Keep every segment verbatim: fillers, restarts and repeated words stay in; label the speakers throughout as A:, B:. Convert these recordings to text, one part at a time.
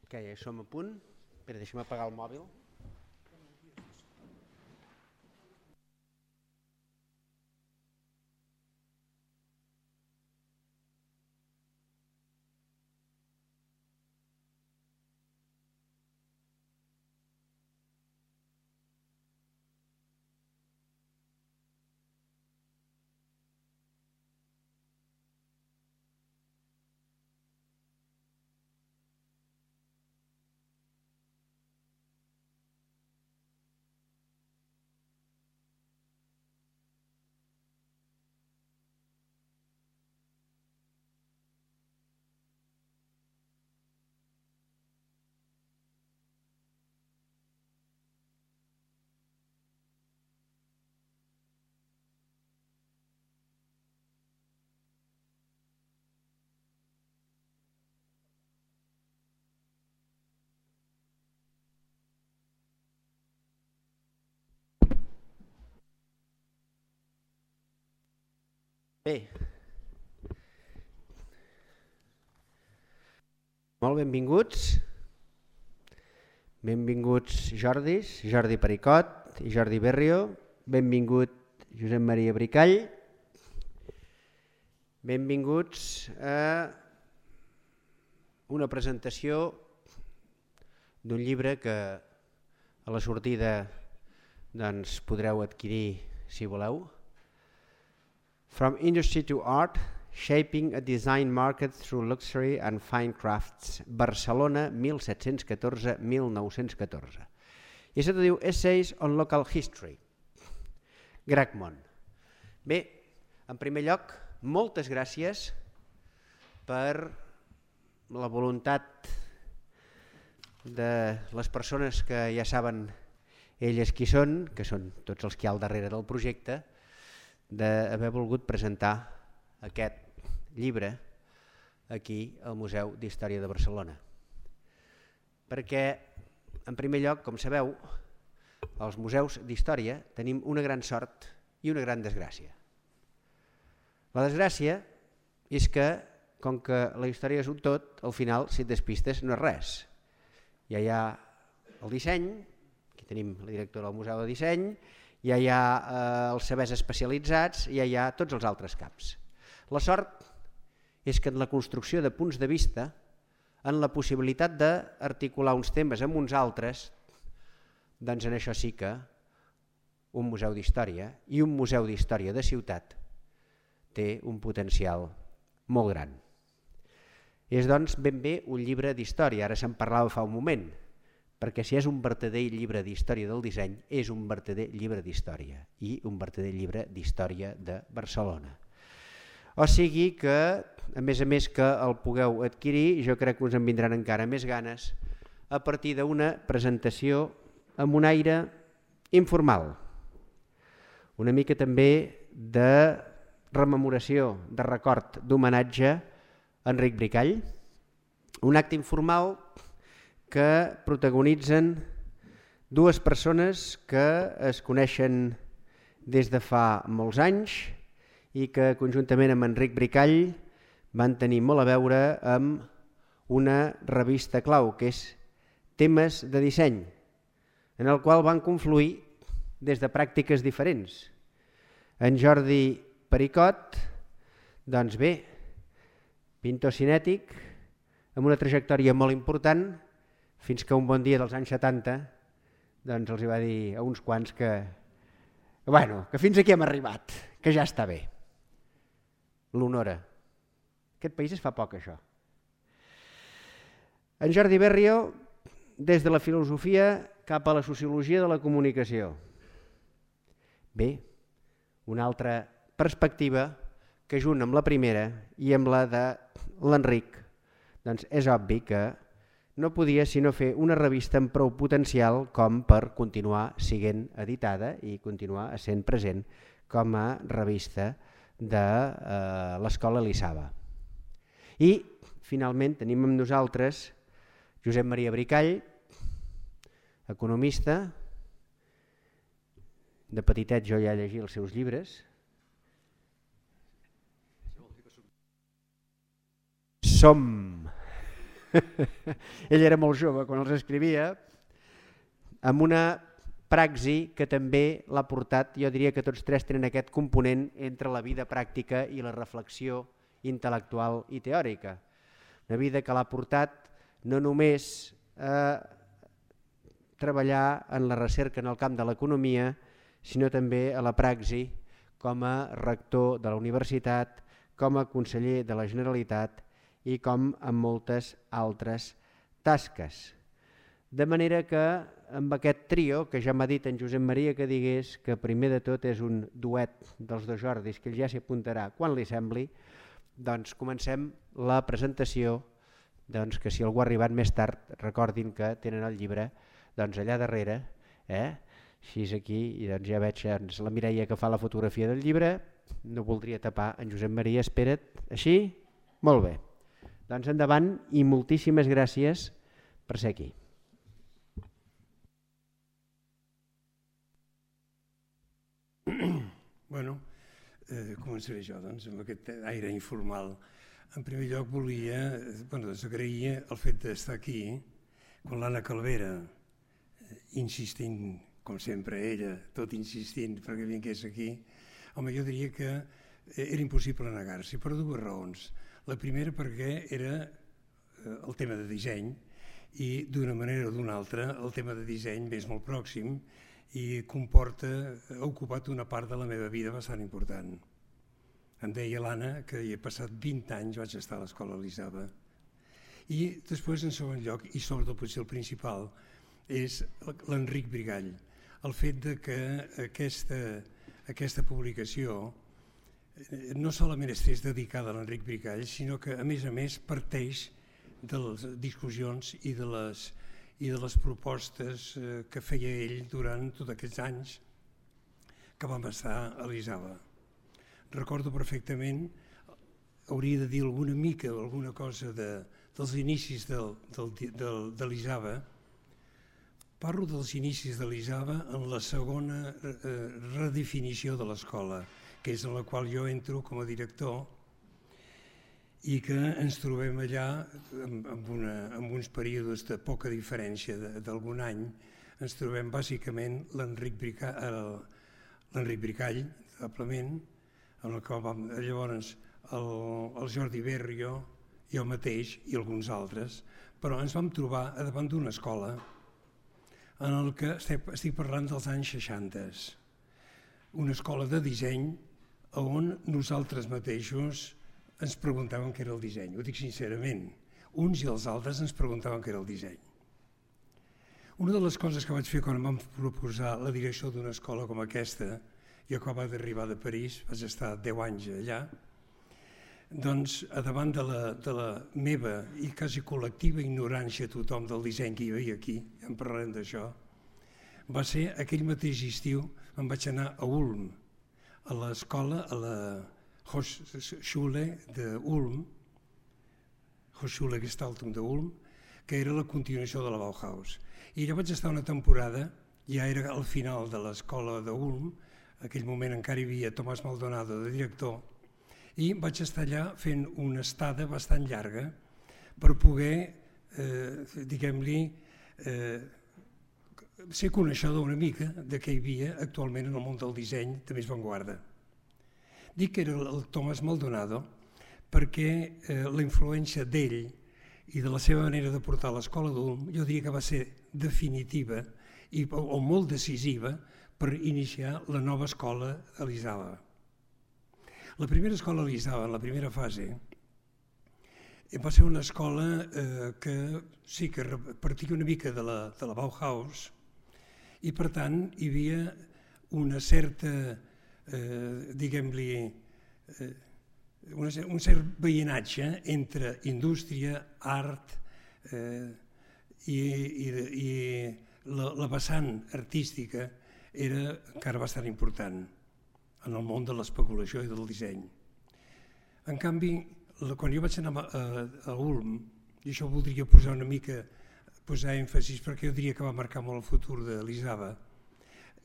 A: Que ja som a punt. Espera, deixa'm apagar el mòbil. Bé, molt benvinguts, benvinguts Jordis, Jordi Pericot i Jordi Berrio, benvingut Josep Maria Bricall, benvinguts a una presentació d'un llibre que a la sortida doncs, podreu adquirir si voleu. From Industry to Art, Shaping a Design Market Through Luxury and Fine Crafts, Barcelona, mil set-cents catorze a mil nou-cents catorze. I això t'ho diu Essays on Local History, Gracmon. Bé, en primer lloc, moltes gràcies per la voluntat de les persones que ja saben elles qui són, que són tots els que hi ha al darrere del projecte, d'haver volgut presentar aquest llibre aquí al Museu d'Història de Barcelona. Perquè, en primer lloc, com sabeu, als museus d'història tenim una gran sort i una gran desgràcia. La desgràcia és que, com que la història és un tot, al final, si et despistes, no és res. Ja hi ha el disseny, aquí tenim la directora del Museu de Disseny, ja hi ha eh, els sabers especialitzats, ja hi ha tots els altres caps. La sort és que en la construcció de punts de vista, en la possibilitat d'articular uns temes amb uns altres, doncs en això sí que un museu d'història i un museu d'història de ciutat té un potencial molt gran. És doncs ben bé un llibre d'història, ara se'n parlava fa un moment, perquè si és un vertader llibre d'història del disseny, és un vertader llibre d'història i un vertader llibre d'història de Barcelona. O sigui que, a més a més que el pugueu adquirir, jo crec que us en vindran encara més ganes a partir d'una presentació amb un aire informal, una mica també de rememoració, de record, d'homenatge a Enric Bricall, un acte informal que protagonitzen dues persones que es coneixen des de fa molts anys i que conjuntament amb Enric Bricall van tenir molt a veure amb una revista clau que és Temes de Disseny, en el qual van confluir des de pràctiques diferents. En Jordi Pericot, doncs bé, pintor cinètic, amb una trajectòria molt important, fins que un bon dia dels anys setanta doncs els va dir a uns quants que, bueno, que fins aquí hem arribat, que ja està bé. L'honora. Aquest país es fa poc, això. En Jordi Berrio, des de la filosofia cap a la sociologia de la comunicació. Bé, una altra perspectiva que junt amb la primera i amb la de l'Enric, doncs és obvi que no podia sinó fer una revista amb prou potencial com per continuar sent editada i continuar sent present com a revista de eh, l'Escola Elisava. I, finalment, tenim amb nosaltres Josep Maria Bricall, economista. De petitet jo ja llegia els seus llibres. Som... ell era molt jove quan els escrivia, amb una praxi que també l'ha portat, jo diria que tots tres tenen aquest component entre la vida pràctica i la reflexió intel·lectual i teòrica. Una vida que l'ha portat no només a treballar en la recerca en el camp de l'economia, sinó també a la praxi com a rector de la universitat, com a conseller de la Generalitat i com en moltes altres tasques. De manera que amb aquest trio, que ja m'ha dit en Josep Maria que digués que primer de tot és un duet dels dos Jordis, que ell ja s'hi apuntarà quan li sembli, doncs comencem la presentació, doncs que si algú ha arribat més tard recordin que tenen el llibre doncs allà darrere, eh? Així és aquí, i doncs ja veig doncs, la Mireia que fa la fotografia del llibre, no voldria tapar en Josep Maria, espera't, així? Molt bé. Doncs endavant i moltíssimes gràcies per ser aquí.
B: Bueno, eh, començaré jo doncs, amb aquest aire informal. En primer lloc volia, bueno, doncs agrair el fet d'estar aquí quan l'Anna Calvera, eh, insistint, com sempre ella, tot insistint perquè vingués aquí, home, jo diria que era impossible negar-s'hi per dues raons. La primera perquè era eh, el tema de disseny i d'una manera o d'una altra el tema de disseny m'és molt pròxim i comporta, ha ocupat una part de la meva vida bastant important. Em deia l'Anna que hi he passat vint anys, vaig estar a l'escola Elisava. I després, en segon lloc, i sobretot potser el principal, és l'Enric Brigall. El fet de que aquesta, aquesta publicació no solament estigués dedicada a l'Enric Brigall, sinó que a més a més parteix de les discussions i de les i de les propostes que feia ell durant tots aquests anys que vam estar a l'Elisava. Recordo perfectament, hauria de dir alguna mica, alguna cosa de, dels inicis del, del, del, de l'Elisava. Parlo dels inicis de l'Elisava en la segona eh, redefinició de l'escola, que és en la qual jo entro com a director, i que ens trobem allà amb, una, amb uns períodes de poca diferència d'algun any. Ens trobem bàsicament l'Enric Bricall, l'Enric Bricall, probablement, en el qual vam, llavors el, el Jordi Berrio, jo mateix i alguns altres, però ens vam trobar davant d'una escola en el que estic, estic parlant dels anys seixanta, una escola de disseny on nosaltres mateixos ens preguntaven què era el disseny, ho dic sincerament. Uns i els altres ens preguntaven què era el disseny. Una de les coses que vaig fer quan em vam proposar la direcció d'una escola com aquesta, jo acabava d'arribar de París, vaig estar deu anys allà, doncs davant de la, de la meva i quasi col·lectiva ignorància tothom del disseny que hi havia aquí, ja en parlarem d'això, va ser aquell mateix estiu, em vaig anar a Ulm, a l'escola, a la Hochschule de Ulm, Hochschule Gestaltung de Ulm, que era la continuació de la Bauhaus. I allà vaig estar una temporada, ja era al final de l'escola de Ulm, en aquell moment encara hi havia Tomàs Maldonado de director, i vaig estar allà fent una estada bastant llarga per poder, eh, diguem-li, eh, ser coneixedor una mica de què hi havia actualment en el món del disseny de més avantguarda. Dic que era el Tomàs Maldonado perquè eh, la influència d'ell i de la seva manera de portar l'escola d'Ulm jo diria que va ser definitiva i, o, o molt decisiva per iniciar la nova escola a l'Elisava. La primera escola a l'Elisava, en la primera fase, va ser una escola eh, que sí que partia una mica de la, de la Bauhaus i per tant hi havia una certa Eh, diguem-li, eh, un cert veïnatge entre indústria, art eh, i, i, i la, la vessant artística era encara bastant important en el món de l'especulació i del disseny. En canvi, quan jo vaig anar a, a Ulm, i això voldria posar una mica, posar èmfasis perquè jo diria que va marcar molt el futur de l'Elisava,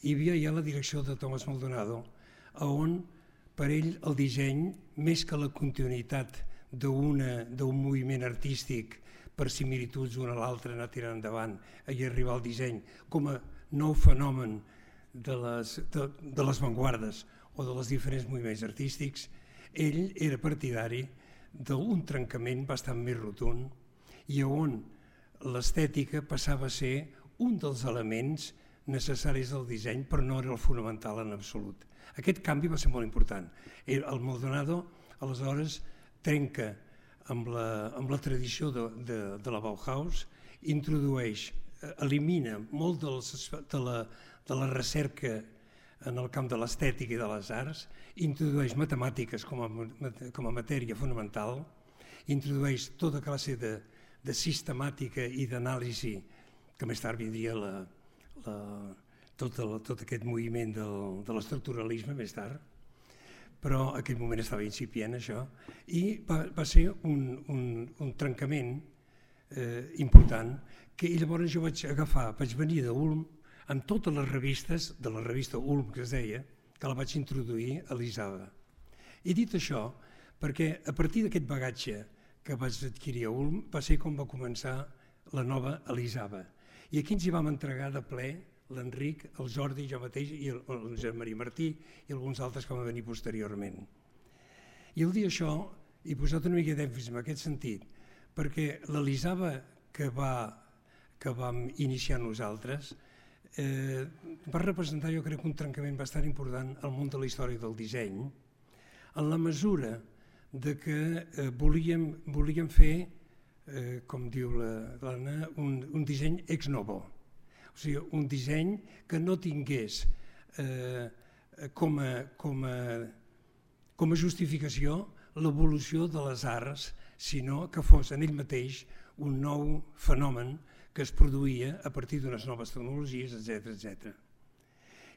B: hi havia ja la direcció de Tomàs Maldonado, on per ell el disseny, més que la continuïtat d'un moviment artístic per similituds una a l'altra, anar tirant endavant i arribar al disseny com a nou fenomen de les, de, de les vanguardes o de les diferents moviments artístics, ell era partidari d'un trencament bastant més rotund i on l'estètica passava a ser un dels elements necessaris del disseny, però no era el fonamental en absolut. Aquest canvi va ser molt important. El Maldonado, aleshores, trenca amb la, amb la tradició de, de, de la Bauhaus, introdueix, elimina molt dels, de, la, de la recerca en el camp de l'estètica i de les arts, introdueix matemàtiques com a, com a matèria fonamental, introdueix tota classe de, de sistemàtica i d'anàlisi, que més tard vindria la, la, tot, el, tot aquest moviment del, de l'estructuralisme més tard, però en aquell moment estava incipient això, i va, va ser un, un, un trencament eh, important que llavors jo vaig agafar, vaig venir d'Ulm amb totes les revistes, de la revista Ulm que es deia, que la vaig introduir a l'Isaba. He dit això perquè a partir d'aquest bagatge que vaig adquirir a Ulm va ser com va començar la nova Elisaba. I aquí ens hi vam entregar de ple l'Enric, el Jordi, jo mateix, i el, el Josep Maria Martí i alguns altres que van venir posteriorment. I al dir això, he posat una mica d'èmfasi en aquest sentit, perquè l'Elisaba que, va, que vam iniciar nosaltres eh, va representar, jo crec, un trencament bastant important al món de la història del disseny, en la mesura de que eh, volíem, volíem fer, eh, com diu l'Anna, un, un disseny ex novo. O sigui, un disseny que no tingués eh, com, a, com, a, com a justificació l'evolució de les arts, sinó que fos en ell mateix un nou fenomen que es produïa a partir d'unes noves tecnologies, etcètera, etcètera.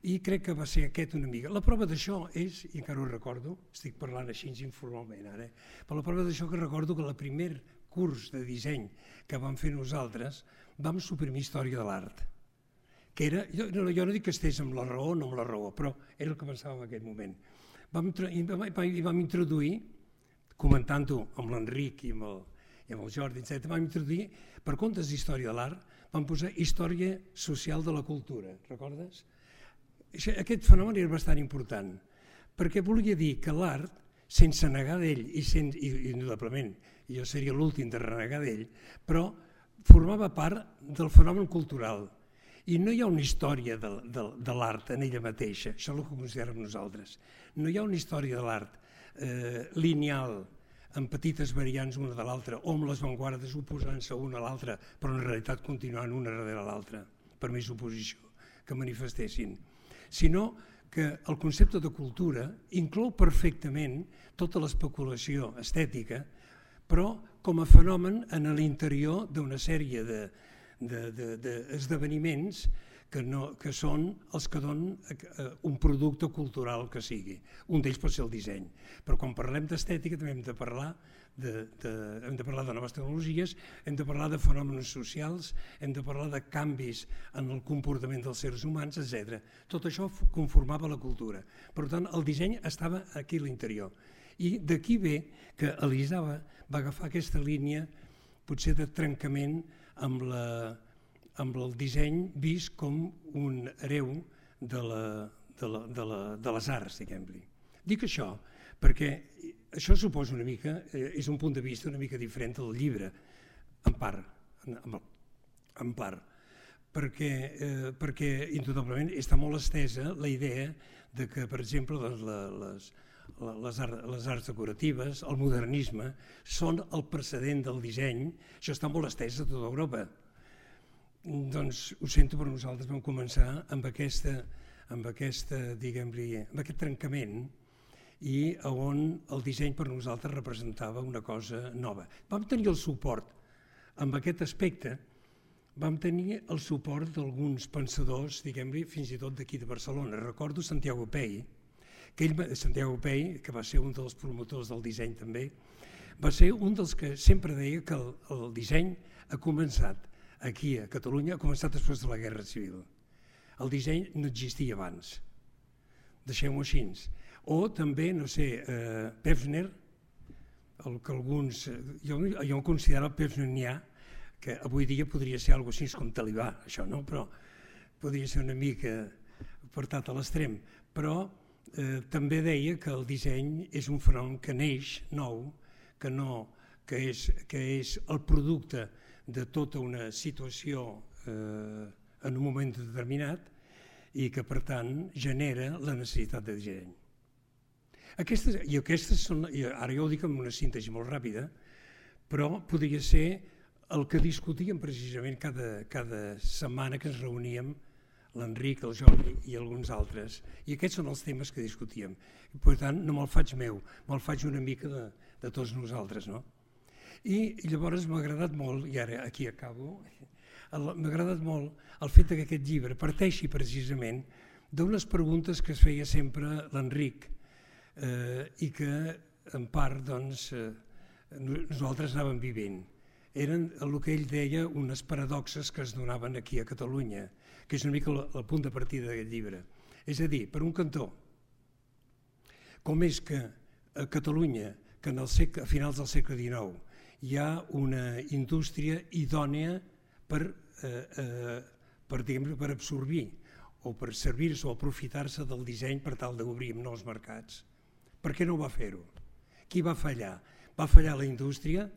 B: I crec que va ser aquest una mica. La prova d'això és, i encara ho recordo, estic parlant així informalment ara, però la prova d'això que recordo que el primer curs de disseny que vam fer nosaltres vam suprimir història de l'art. Que era, jo, jo no dic que estigués amb la raó o no amb la raó, però era el que pensava en aquest moment. Vam, i, i vam introduir, comentant-ho amb l'Enric i amb el, i amb el Jordi, etcètera, vam introduir, per comptes d'història de l'art, vam posar història social de la cultura, recordes? Aquest fenomen era bastant important, perquè volia dir que l'art, sense negar d'ell, i, sense, i indudablement, jo seria l'últim de renegar d'ell, però formava part del fenomen cultural. I no hi ha una història de, de, de l'art en ella mateixa, això és el que considerem nosaltres. No hi ha una història de l'art eh, lineal, amb petites variants una de l'altra, o amb les vanguardes oposant-se una a l'altra, però en realitat continuant una darrere l'altra, per més oposició que manifestessin. Sinó que el concepte de cultura inclou perfectament tota l'especulació estètica, però com a fenomen en l'interior d'una sèrie de d'esdeveniments que, no, que són els que donen un producte cultural que sigui. Un d'ells pot ser el disseny. Però quan parlem d'estètica també hem de parlar de, de, hem de parlar de noves tecnologies, hem de parlar de fenòmens socials, hem de parlar de canvis en el comportament dels éssers humans, etcètera. Tot això conformava la cultura. Per tant, el disseny estava aquí a l'interior. I d'aquí ve que Elisaba va agafar aquesta línia potser de trencament amb, la, amb el disseny vist com un hereu de, la, de, la, de, la, de les arts, diguem-li. Dic això perquè això suposa una mica, eh, és un punt de vista una mica diferent del llibre, en part, en, en part, perquè, eh, perquè indudablement està molt estesa la idea de que, per exemple, les, les, les, art, les arts decoratives, el modernisme, són el precedent del disseny, això està molt estès a tota Europa. Doncs ho sento, però nosaltres vam començar amb, aquesta, amb, aquesta, diguem-li, amb aquest trencament i on el disseny per nosaltres representava una cosa nova. Vam tenir el suport, amb aquest aspecte, vam tenir el suport d'alguns pensadors, diguem-li, fins i tot d'aquí de Barcelona. Recordo Santiago Pey, que ell, Santiago Pey, que va ser un dels promotors del disseny també, va ser un dels que sempre deia que el, el disseny ha començat aquí a Catalunya, ha començat després de la Guerra Civil. El disseny no existia abans, deixem-ho així. O també, no sé, eh, Pevsner, el que alguns, jo, jo em considero pevsnerià, que avui dia podria ser alguna cosa així com talibà, això, no? Però podria ser una mica portat a l'extrem. Però eh, també deia que el disseny és un front que neix nou, que, no, que, és, que és el producte de tota una situació eh, en un moment determinat i que, per tant, genera la necessitat de disseny. Aquestes, i aquestes són, i ara jo ho dic amb una síntesi molt ràpida, però podria ser el que discutíem precisament cada, cada setmana que ens reuníem l'Enric, el Jordi i alguns altres, i aquests són els temes que discutíem. I, per tant, no me'l faig meu, me'l faig una mica de, de tots nosaltres. No? I llavors m'ha agradat molt, i ara aquí acabo, m'ha agradat molt el fet que aquest llibre parteixi precisament d'unes preguntes que es feia sempre l'Enric eh, i que en part doncs, eh, nosaltres anàvem vivint. Eren el que ell deia unes paradoxes que es donaven aquí a Catalunya, que és una mica el, el punt de partida d'aquest llibre. És a dir, per un cantó, com és que a Catalunya, que en el segle, a finals del segle dinou hi ha una indústria idònia per, eh, eh, per, diguem, per absorbir o per servir-se o aprofitar-se del disseny per tal d'obrir nous mercats. Per què no va fer-ho? Qui va fallar? Va fallar la indústria?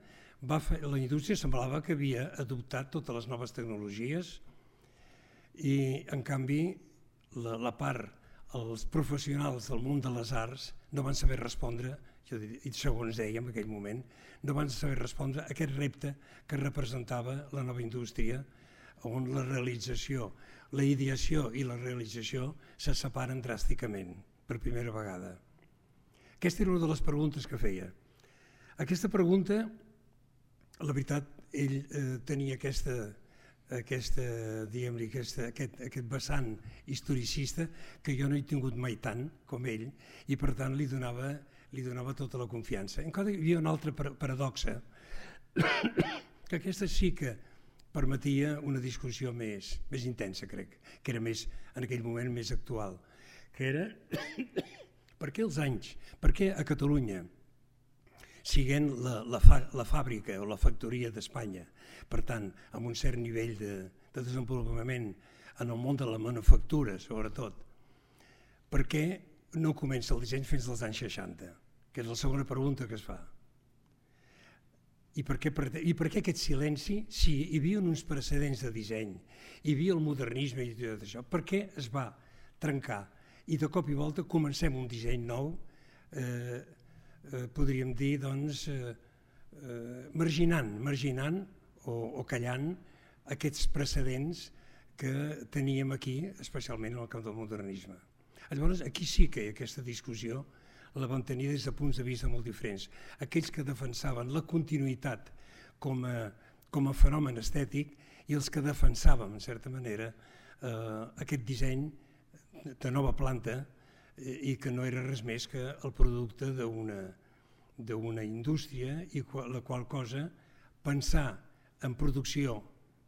B: Va fa... La indústria semblava que havia adoptat totes les noves tecnologies i, en canvi, la, la part, els professionals del món de les arts no van saber respondre, i segons deia en aquell moment, no van saber respondre a aquest repte que representava la nova indústria, on la realització, la ideació i la realització se separen dràsticament, per primera vegada. Aquesta era una de les preguntes que feia. Aquesta pregunta, la veritat, ell eh, tenia aquesta, aquesta, diguem-li, aquesta, aquest, aquest vessant historicista que jo no he tingut mai tant com ell i per tant li donava, li donava tota la confiança. Encara hi havia una altra paradoxa, que aquesta sí que permetia una discussió més, més intensa, crec, que era més, en aquell moment més actual, que era per què els anys, per què a Catalunya, siguent la, la, fa, la fàbrica o la factoria d'Espanya, per tant, amb un cert nivell de, de desenvolupament en el món de la manufactura, sobretot, per què no comença el disseny fins als anys seixanta? Que és la segona pregunta que es fa. I per què, i per què aquest silenci? Sí, hi havia uns precedents de disseny, hi havia el modernisme i tot això. Per què es va trencar? I de cop i volta comencem un disseny nou, eh, eh, podríem dir, doncs, eh, eh, marginant, marginant o, o callant aquests precedents que teníem aquí, especialment en el camp del modernisme. Llavors, aquí sí que hi ha aquesta discussió, la van tenir des de punts de vista molt diferents. Aquells que defensaven la continuïtat com a, com a fenomen estètic i els que defensàvem, en certa manera, eh, aquest disseny de nova planta eh, i que no era res més que el producte d'una d'una indústria i qual, la qual cosa pensar en producció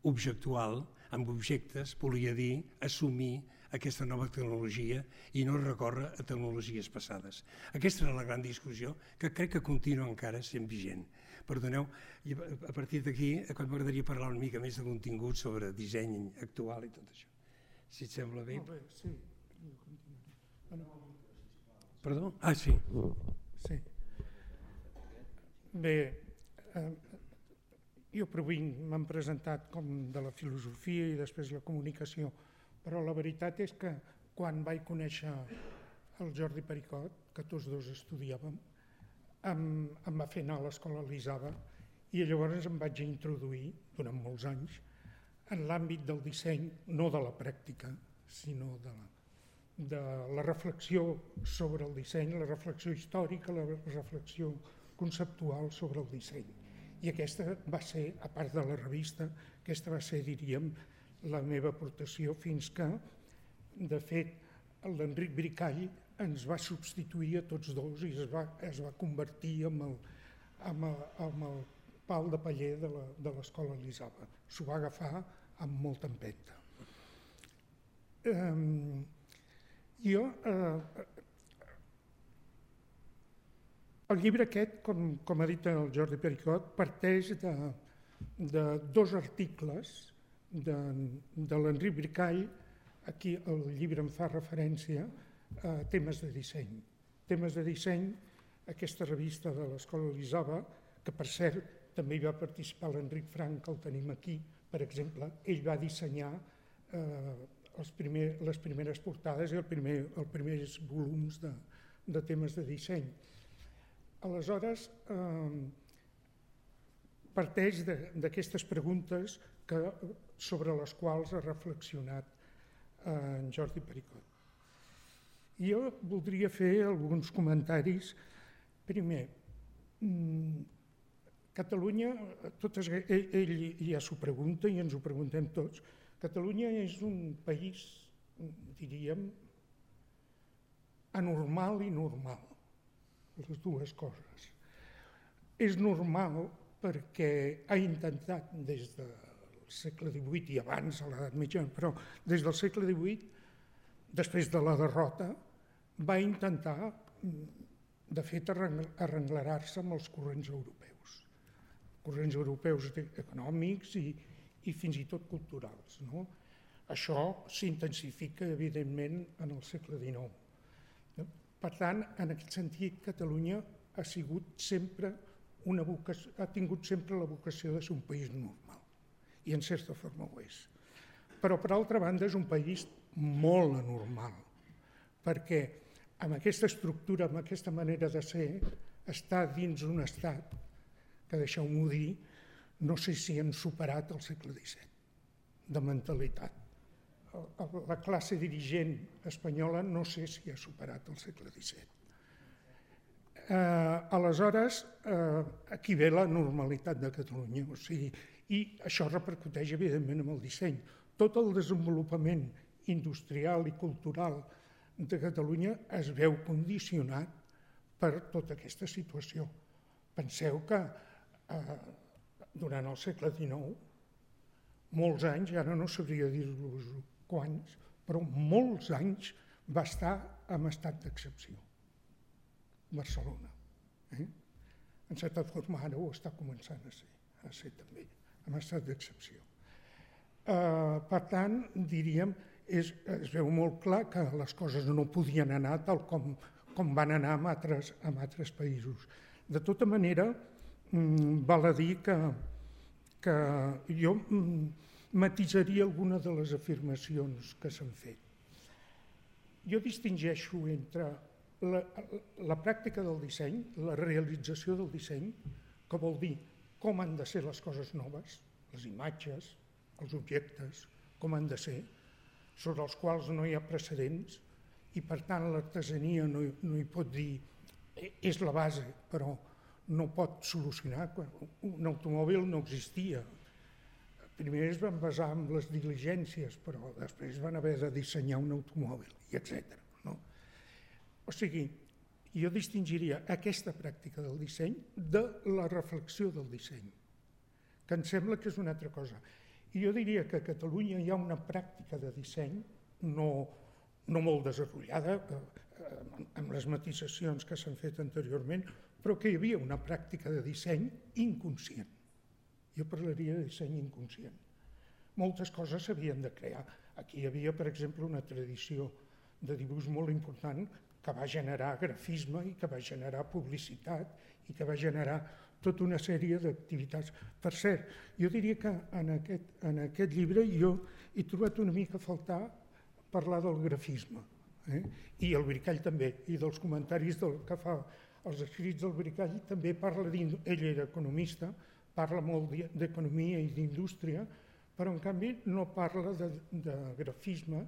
B: objectual, amb objectes, volia dir assumir aquesta nova tecnologia i no recórrer a tecnologies passades. Aquesta era la gran discussió que crec que continua encara sent vigent. Perdoneu, i a partir d'aquí m'agradaria parlar una mica més de contingut sobre disseny actual i tot això. Si et sembla bé.
C: Molt bé, sí.
B: Perdó? Ah, sí.
C: Sí. Bé, eh, jo provint m'han presentat com de la filosofia i després la comunicació, però la veritat és que quan vaig conèixer el Jordi Pericot, que tots dos estudiàvem, em, em va fer anar a l'escola Elisava i llavors em vaig introduir durant molts anys en l'àmbit del disseny, no de la pràctica, sinó de la, de la reflexió sobre el disseny, la reflexió històrica, la reflexió conceptual sobre el disseny. I aquesta va ser, a part de la revista, aquesta va ser, diríem, la meva aportació fins que, de fet, l'Enric Bricall ens va substituir a tots dos i es va, es va convertir en el, en el, en el pal de paller de la, de l'escola Elisava. S'ho va agafar amb molta empenta. Um, jo, uh, el llibre aquest, com, com ha dit el Jordi Pericot, parteix de, de dos articles de, de l'Enric Bricall. Aquí el llibre em fa referència a temes de disseny. Temes de disseny, aquesta revista de l'Escola Elisava, que per cert també hi va participar l'Enric Frank, que el tenim aquí, per exemple, ell va dissenyar eh, els primer, les primeres portades i el primer, els primers volums de, de temes de disseny. Aleshores, eh, parteix d'aquestes preguntes que, sobre les quals ha reflexionat eh, en Jordi Pericot. Jo voldria fer alguns comentaris. Primer, Catalunya, totes, ell, ell ja s'ho pregunta i ens ho preguntem tots, Catalunya és un país, diríem, anormal i normal, les dues coses. És normal perquè ha intentat des del segle divuit i abans, a l'edat mitjana, però des del segle divuit, després de la derrota, va intentar, de fet, arrenglerar-se amb els corrents europeus. Corrents europeus econòmics i, i fins i tot culturals. No? Això s'intensifica, evidentment, en el segle dinou. Per tant, en aquest sentit, Catalunya ha sigut sempre una vocació, ha tingut sempre la vocació de ser un país normal, i en certa forma ho és. Però, per altra banda, és un país molt anormal, perquè amb aquesta estructura, amb aquesta manera de ser, està dins un estat que, deixeu-m'ho dir, no sé si hem superat el segle disset, de mentalitat. La classe dirigent espanyola no sé si ha superat el segle disset. Eh, aleshores, eh, aquí ve la normalitat de Catalunya, o sigui, i això repercuteix evidentment en el disseny. Tot el desenvolupament industrial i cultural de Catalunya es veu condicionat per tota aquesta situació. Penseu que eh, durant el segle dinou, molts anys, ara no sabria dir-vos quants, però molts anys va estar en estat d'excepció. Barcelona. Eh? En certa forma ara ho està començant a ser, a ser també, en estat d'excepció. Eh, per tant, diríem, és, es veu molt clar que les coses no podien anar tal com, com van anar en altres, en altres països. De tota manera, mm, val a dir que, que jo mm, matisaria alguna de les afirmacions que s'han fet. Jo distingeixo entre la, la pràctica del disseny, la realització del disseny, que vol dir com han de ser les coses noves, les imatges, els objectes, com han de ser, sobre els quals no hi ha precedents i per tant l'artesania no, no hi pot dir, és la base, però no pot solucionar. Un automòbil no existia. Primer es van basar en les diligències, però després van haver de dissenyar un automòbil, i etcètera. No? O sigui, jo distingiria aquesta pràctica del disseny de la reflexió del disseny, que em sembla que és una altra cosa. I jo diria que a Catalunya hi ha una pràctica de disseny no, no molt desenvolupada, eh, amb les matisacions que s'han fet anteriorment, però que hi havia una pràctica de disseny inconscient. Jo parlaria de disseny inconscient. Moltes coses s'havien de crear. Aquí hi havia, per exemple, una tradició de dibuix molt important que va generar grafisme i que va generar publicitat i que va generar tota una sèrie d'activitats. Per cert, jo diria que en aquest, en aquest llibre jo he trobat una mica a faltar parlar del grafisme, eh? I el Bricall també, i dels comentaris del que fa els escrits del Bricall també parla, ell era economista, parla molt d'economia i d'indústria, però en canvi no parla de, de grafisme,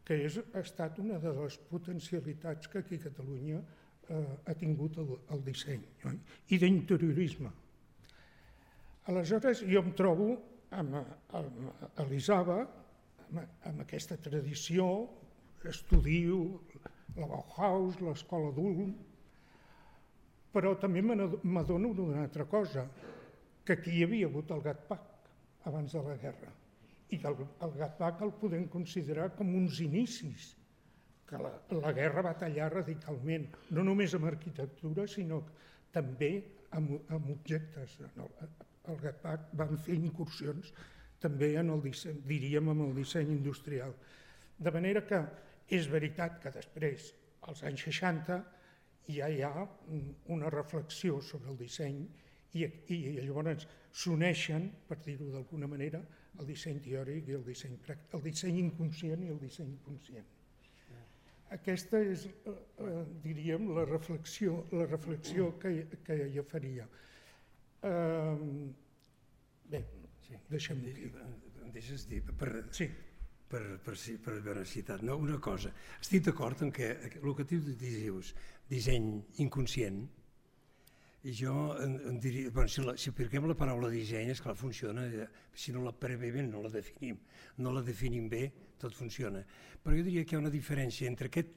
C: que és, ha estat una de les potencialitats que aquí a Catalunya ha tingut el, el disseny, no? I d'interiorisme. Aleshores, jo em trobo amb, amb, a l'Isava, amb, amb aquesta tradició, estudio la Bauhaus, l'escola d'Ulm, però també m'adono d'una altra cosa, que aquí hi havia hagut el Gatcpac abans de la guerra, i que el, el Gatcpac el podem considerar com uns inicis, que la, la guerra va tallar radicalment, no només amb arquitectura, sinó també amb, amb objectes, el GATPAC van fer incursions també en el disseny, diríem, en el disseny industrial. De manera que és veritat que després, als anys seixanta, ja hi ha una reflexió sobre el disseny i, i llavors s'uneixen, per dir-ho d'alguna manera, el disseny teòric i el disseny pràctic, el disseny inconscient i el disseny conscient. Aquesta és, eh, diríem, la reflexió, la reflexió que, que jo faria. Eh, bé,
B: sí.
C: deixem-ho aquí.
B: Em deixes dir, per,
C: sí.
B: per, per, per haver citat, no, una cosa. Estic d'acord en que el que tu dius, disseny inconscient, i jo en, en diria, bueno, si, la, si apliquem la paraula disseny, esclar, funciona, si no la previem no la definim, no la definim bé, tot funciona. Però jo diria que hi ha una diferència entre aquest,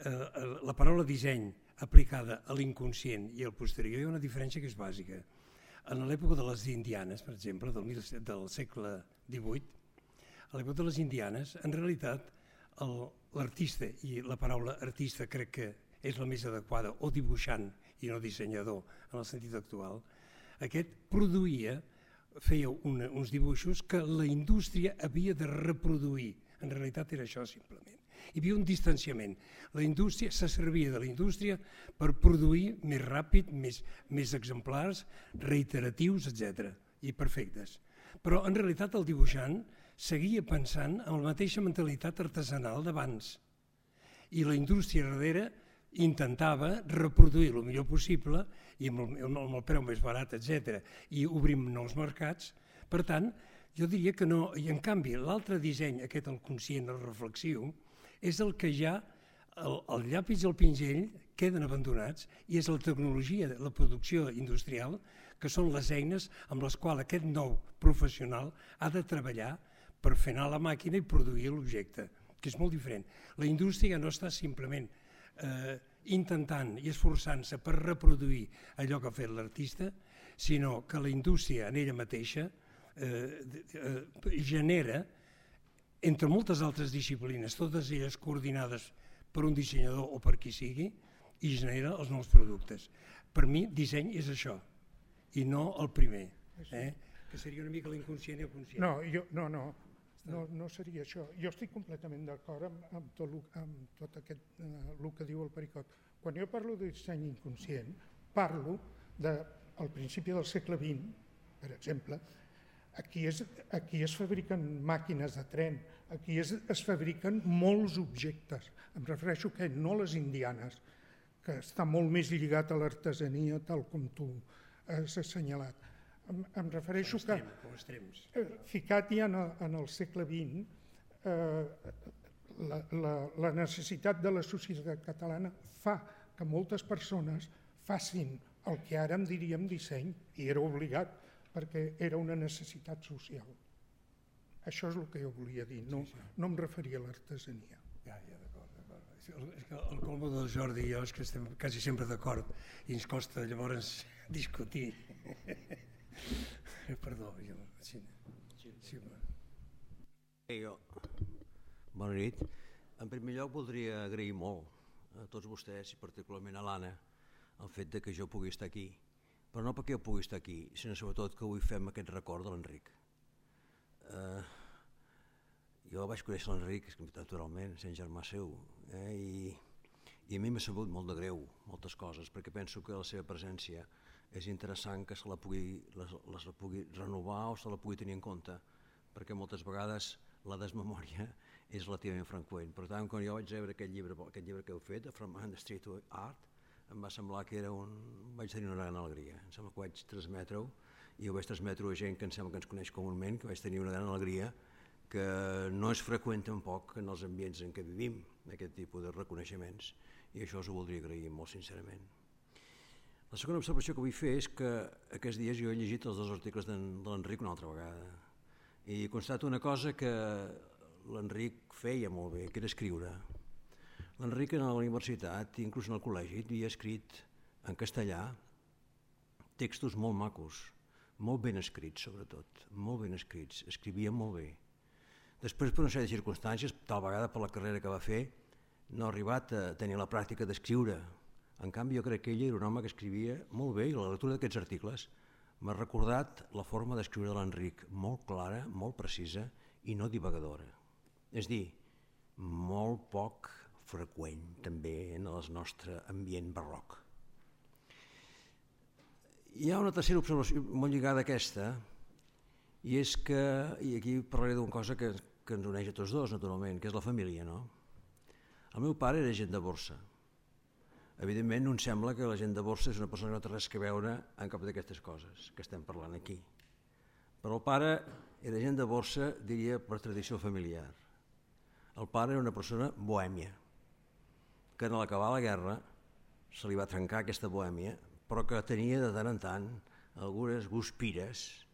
B: eh, la paraula disseny aplicada a l'inconscient i al posterior, hi ha una diferència que és bàsica. En l'època de les indianes, per exemple, del, del segle divuit, a l'època de les indianes, en realitat, l'artista, i la paraula artista crec que és la més adequada, o dibuixant i no dissenyador en el sentit actual, aquest produïa, feia una, uns dibuixos que la indústria havia de reproduir. En realitat era això simplement. Hi havia un distanciament. La indústria se servia de la indústria per produir més ràpid, més, més exemplars, reiteratius, etcètera, i perfectes. Però en realitat el dibuixant seguia pensant en la mateixa mentalitat artesanal d'abans. I la indústria darrere intentava reproduir el millor possible i amb el, amb el preu més barat, etcètera, i obrim nous mercats. Per tant, jo diria que no, i en canvi l'altre disseny, aquest el conscient, el reflexiu, és el que ja el, el llapis i el pinzell queden abandonats i és la tecnologia, la producció industrial, que són les eines amb les quals aquest nou professional ha de treballar per fer anar la màquina i produir l'objecte, que és molt diferent. La indústria no està simplement eh, intentant i esforçant-se per reproduir allò que ha fet l'artista, sinó que la indústria en ella mateixa eh, eh, genera, entre moltes altres disciplines, totes elles coordinades per un dissenyador o per qui sigui, i genera els nous productes. Per mi, disseny és això, i no el primer, eh? Que seria una mica l'inconscient i el conscient.
C: No, jo, no, no, no, no seria això. Jo estic completament d'acord amb, amb, tot, amb tot aquest, eh, el que diu el Pericot. Quan jo parlo de disseny inconscient, parlo de, al principi del segle vint, per exemple, aquí es, aquí es fabriquen màquines de tren, aquí es, es fabriquen molts objectes. Em refereixo que no les indianes, que està molt més lligat a l'artesania, tal com tu has assenyalat. Em, em refereixo que, eh, ficat ja en, en el segle vint, eh, la, la, la necessitat de la societat catalana fa que moltes persones facin el que ara en diríem disseny, i era obligat, perquè era una necessitat social. Això és el que jo volia dir, no, sí, sí. no em referia a l'artesania.
B: Ja, ja, d'acord, d'acord. És que el colmo del Jordi i jo és que estem quasi sempre d'acord i ens costa llavors discutir. Perdó, jo... Sí, sí, sí.
D: Hey, jo. Bona nit. En primer lloc voldria agrair molt a tots vostès, i particularment a l'Anna, el fet de que jo pugui estar aquí. Però no perquè jo pugui estar aquí, sinó sobretot que avui fem aquest record de l'Enric. Uh, jo vaig conèixer l'Enric, naturalment, sent germà seu, eh? I, i a mi m'ha sabut molt de greu, moltes coses, perquè penso que la seva presència és interessant que se la pugui, les, les la pugui renovar o se la pugui tenir en compte, perquè moltes vegades la desmemòria és relativament freqüent. Per tant, quan jo vaig veure aquest llibre, aquest llibre que heu fet, From the Street to Art, em va semblar que era un... vaig tenir una gran alegria. Em sembla que vaig transmetre-ho, i ho vaig transmetre a gent que em sembla que ens coneix comúment, que vaig tenir una gran alegria, que no és freqüent tampoc en els ambients en què vivim, aquest tipus de reconeixements, i això us ho voldria agrair molt sincerament. La segona observació que vull fer és que aquests dies jo he llegit els dos articles de l'Enric una altra vegada, i constato una cosa que l'Enric feia molt bé, que era escriure. L'Enric a la universitat, inclús en el col·legi, havia escrit en castellà textos molt macos, molt ben escrits sobretot, molt ben escrits, escrivia molt bé. Després, per una sèrie de circumstàncies, tal vegada per la carrera que va fer, no ha arribat a tenir la pràctica d'escriure. En canvi, jo crec que ell era un home que escrivia molt bé, i la lectura d'aquests articles m'ha recordat la forma d'escriure de l'Enric, molt clara, molt precisa i no divagadora. És dir, molt poc freqüent també en el nostre ambient barroc. Hi ha una tercera observació molt lligada a aquesta, i és que, i aquí parlaré d'una cosa que, que ens uneix a tots dos, naturalment, que és la família, no? El meu pare era agent de borsa. Evidentment, no em sembla que la gent de borsa és una persona que no té res a veure en cap d'aquestes coses que estem parlant aquí. Però el pare era agent de borsa, diria, per tradició familiar. El pare era una persona bohèmia, que en l'acabar la guerra se li va trencar aquesta bohèmia, però que tenia de tant en tant algunes guspires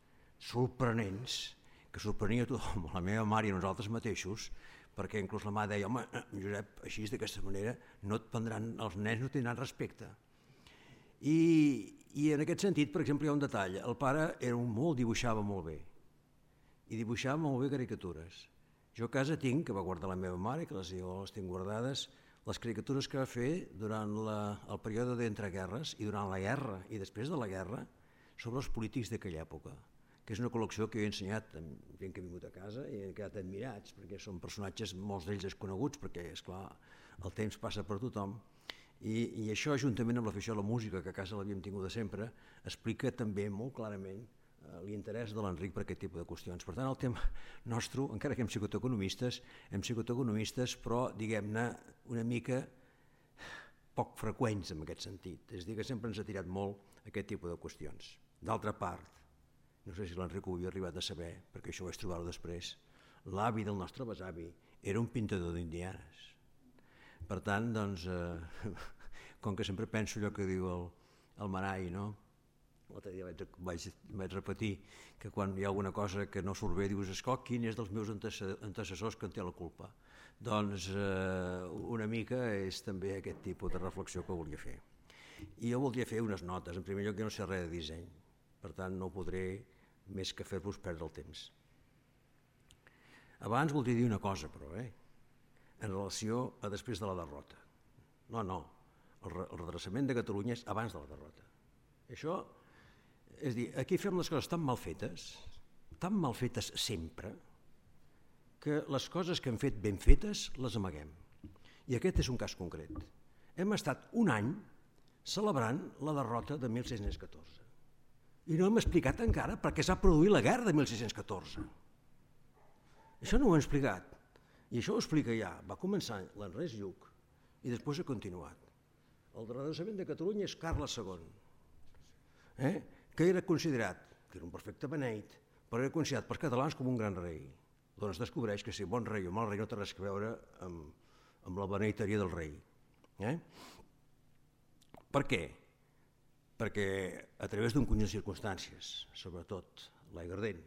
D: sorprenents, que sorprenia a tothom, la meva mare i a nosaltres mateixos, perquè inclús la mare deia, home, Josep, així d'aquesta manera no et prendran, els nens no tindran respecte. I, i en aquest sentit, per exemple, hi ha un detall, el pare era un molt, dibuixava molt bé, i dibuixava molt bé caricatures. Jo a casa tinc, que va guardar la meva mare, que les, jo les tinc guardades, les caricatures que va fer durant la, el període d'entreguerres i durant la guerra i després de la guerra sobre els polítics d'aquella època, que és una col·lecció que jo he ensenyat a gent que ha vingut a casa i han quedat admirats, perquè són personatges, molts d'ells desconeguts, perquè, esclar, el temps passa per tothom, i, i això, juntament amb l'afició a la música, que a casa l'havíem tingut de sempre, explica també molt clarament eh, l'interès de l'Enric per aquest tipus de qüestions. Per tant, el tema nostre, encara que hem sigut economistes, hem sigut economistes, però, diguem-ne, una mica poc freqüents en aquest sentit. És a dir, que sempre ens ha tirat molt aquest tipus de qüestions. D'altra part, no sé si l'Enric ho havia arribat a saber, perquè això ho vaig trobar-ho després, l'avi del nostre besavi era un pintador d'indianes. Per tant, doncs, eh, com que sempre penso allò que diu el, el Marai, no? L'altre dia vaig, vaig, vaig repetir que quan hi ha alguna cosa que no surt bé, dius, esclar, quin és dels meus antecessors que en té la culpa? Doncs eh, una mica és també aquest tipus de reflexió que volia fer. I jo voldria fer unes notes. En primer lloc, jo no sé res de disseny, per tant no podré més que fer-vos perdre el temps. Abans voldria dir una cosa, però, eh? en relació a després de la derrota. No, no, el, re el redreçament de Catalunya és abans de la derrota. Això, és dir, aquí fem les coses tan mal fetes, tan mal fetes sempre, que les coses que hem fet ben fetes les amaguem. I aquest és un cas concret. Hem estat un any celebrant la derrota de mil sis-cents catorze. I no hem explicat encara per què s'ha produït la guerra de mil sis-cents catorze. Això no ho hem explicat. I això ho explica ja. Va començar l'Ernest Lluch i després ha continuat. El redreçament de Catalunya és Carles segon, eh? que era considerat, que era un perfecte beneit, però era considerat pels catalans com un gran rei. Doncs descobreix que si bon rei o mal rei no té res a veure amb, amb la beneiteria del rei. Eh? Per què? Perquè a través d'un conjunt de circumstàncies, sobretot l'Aiguardent,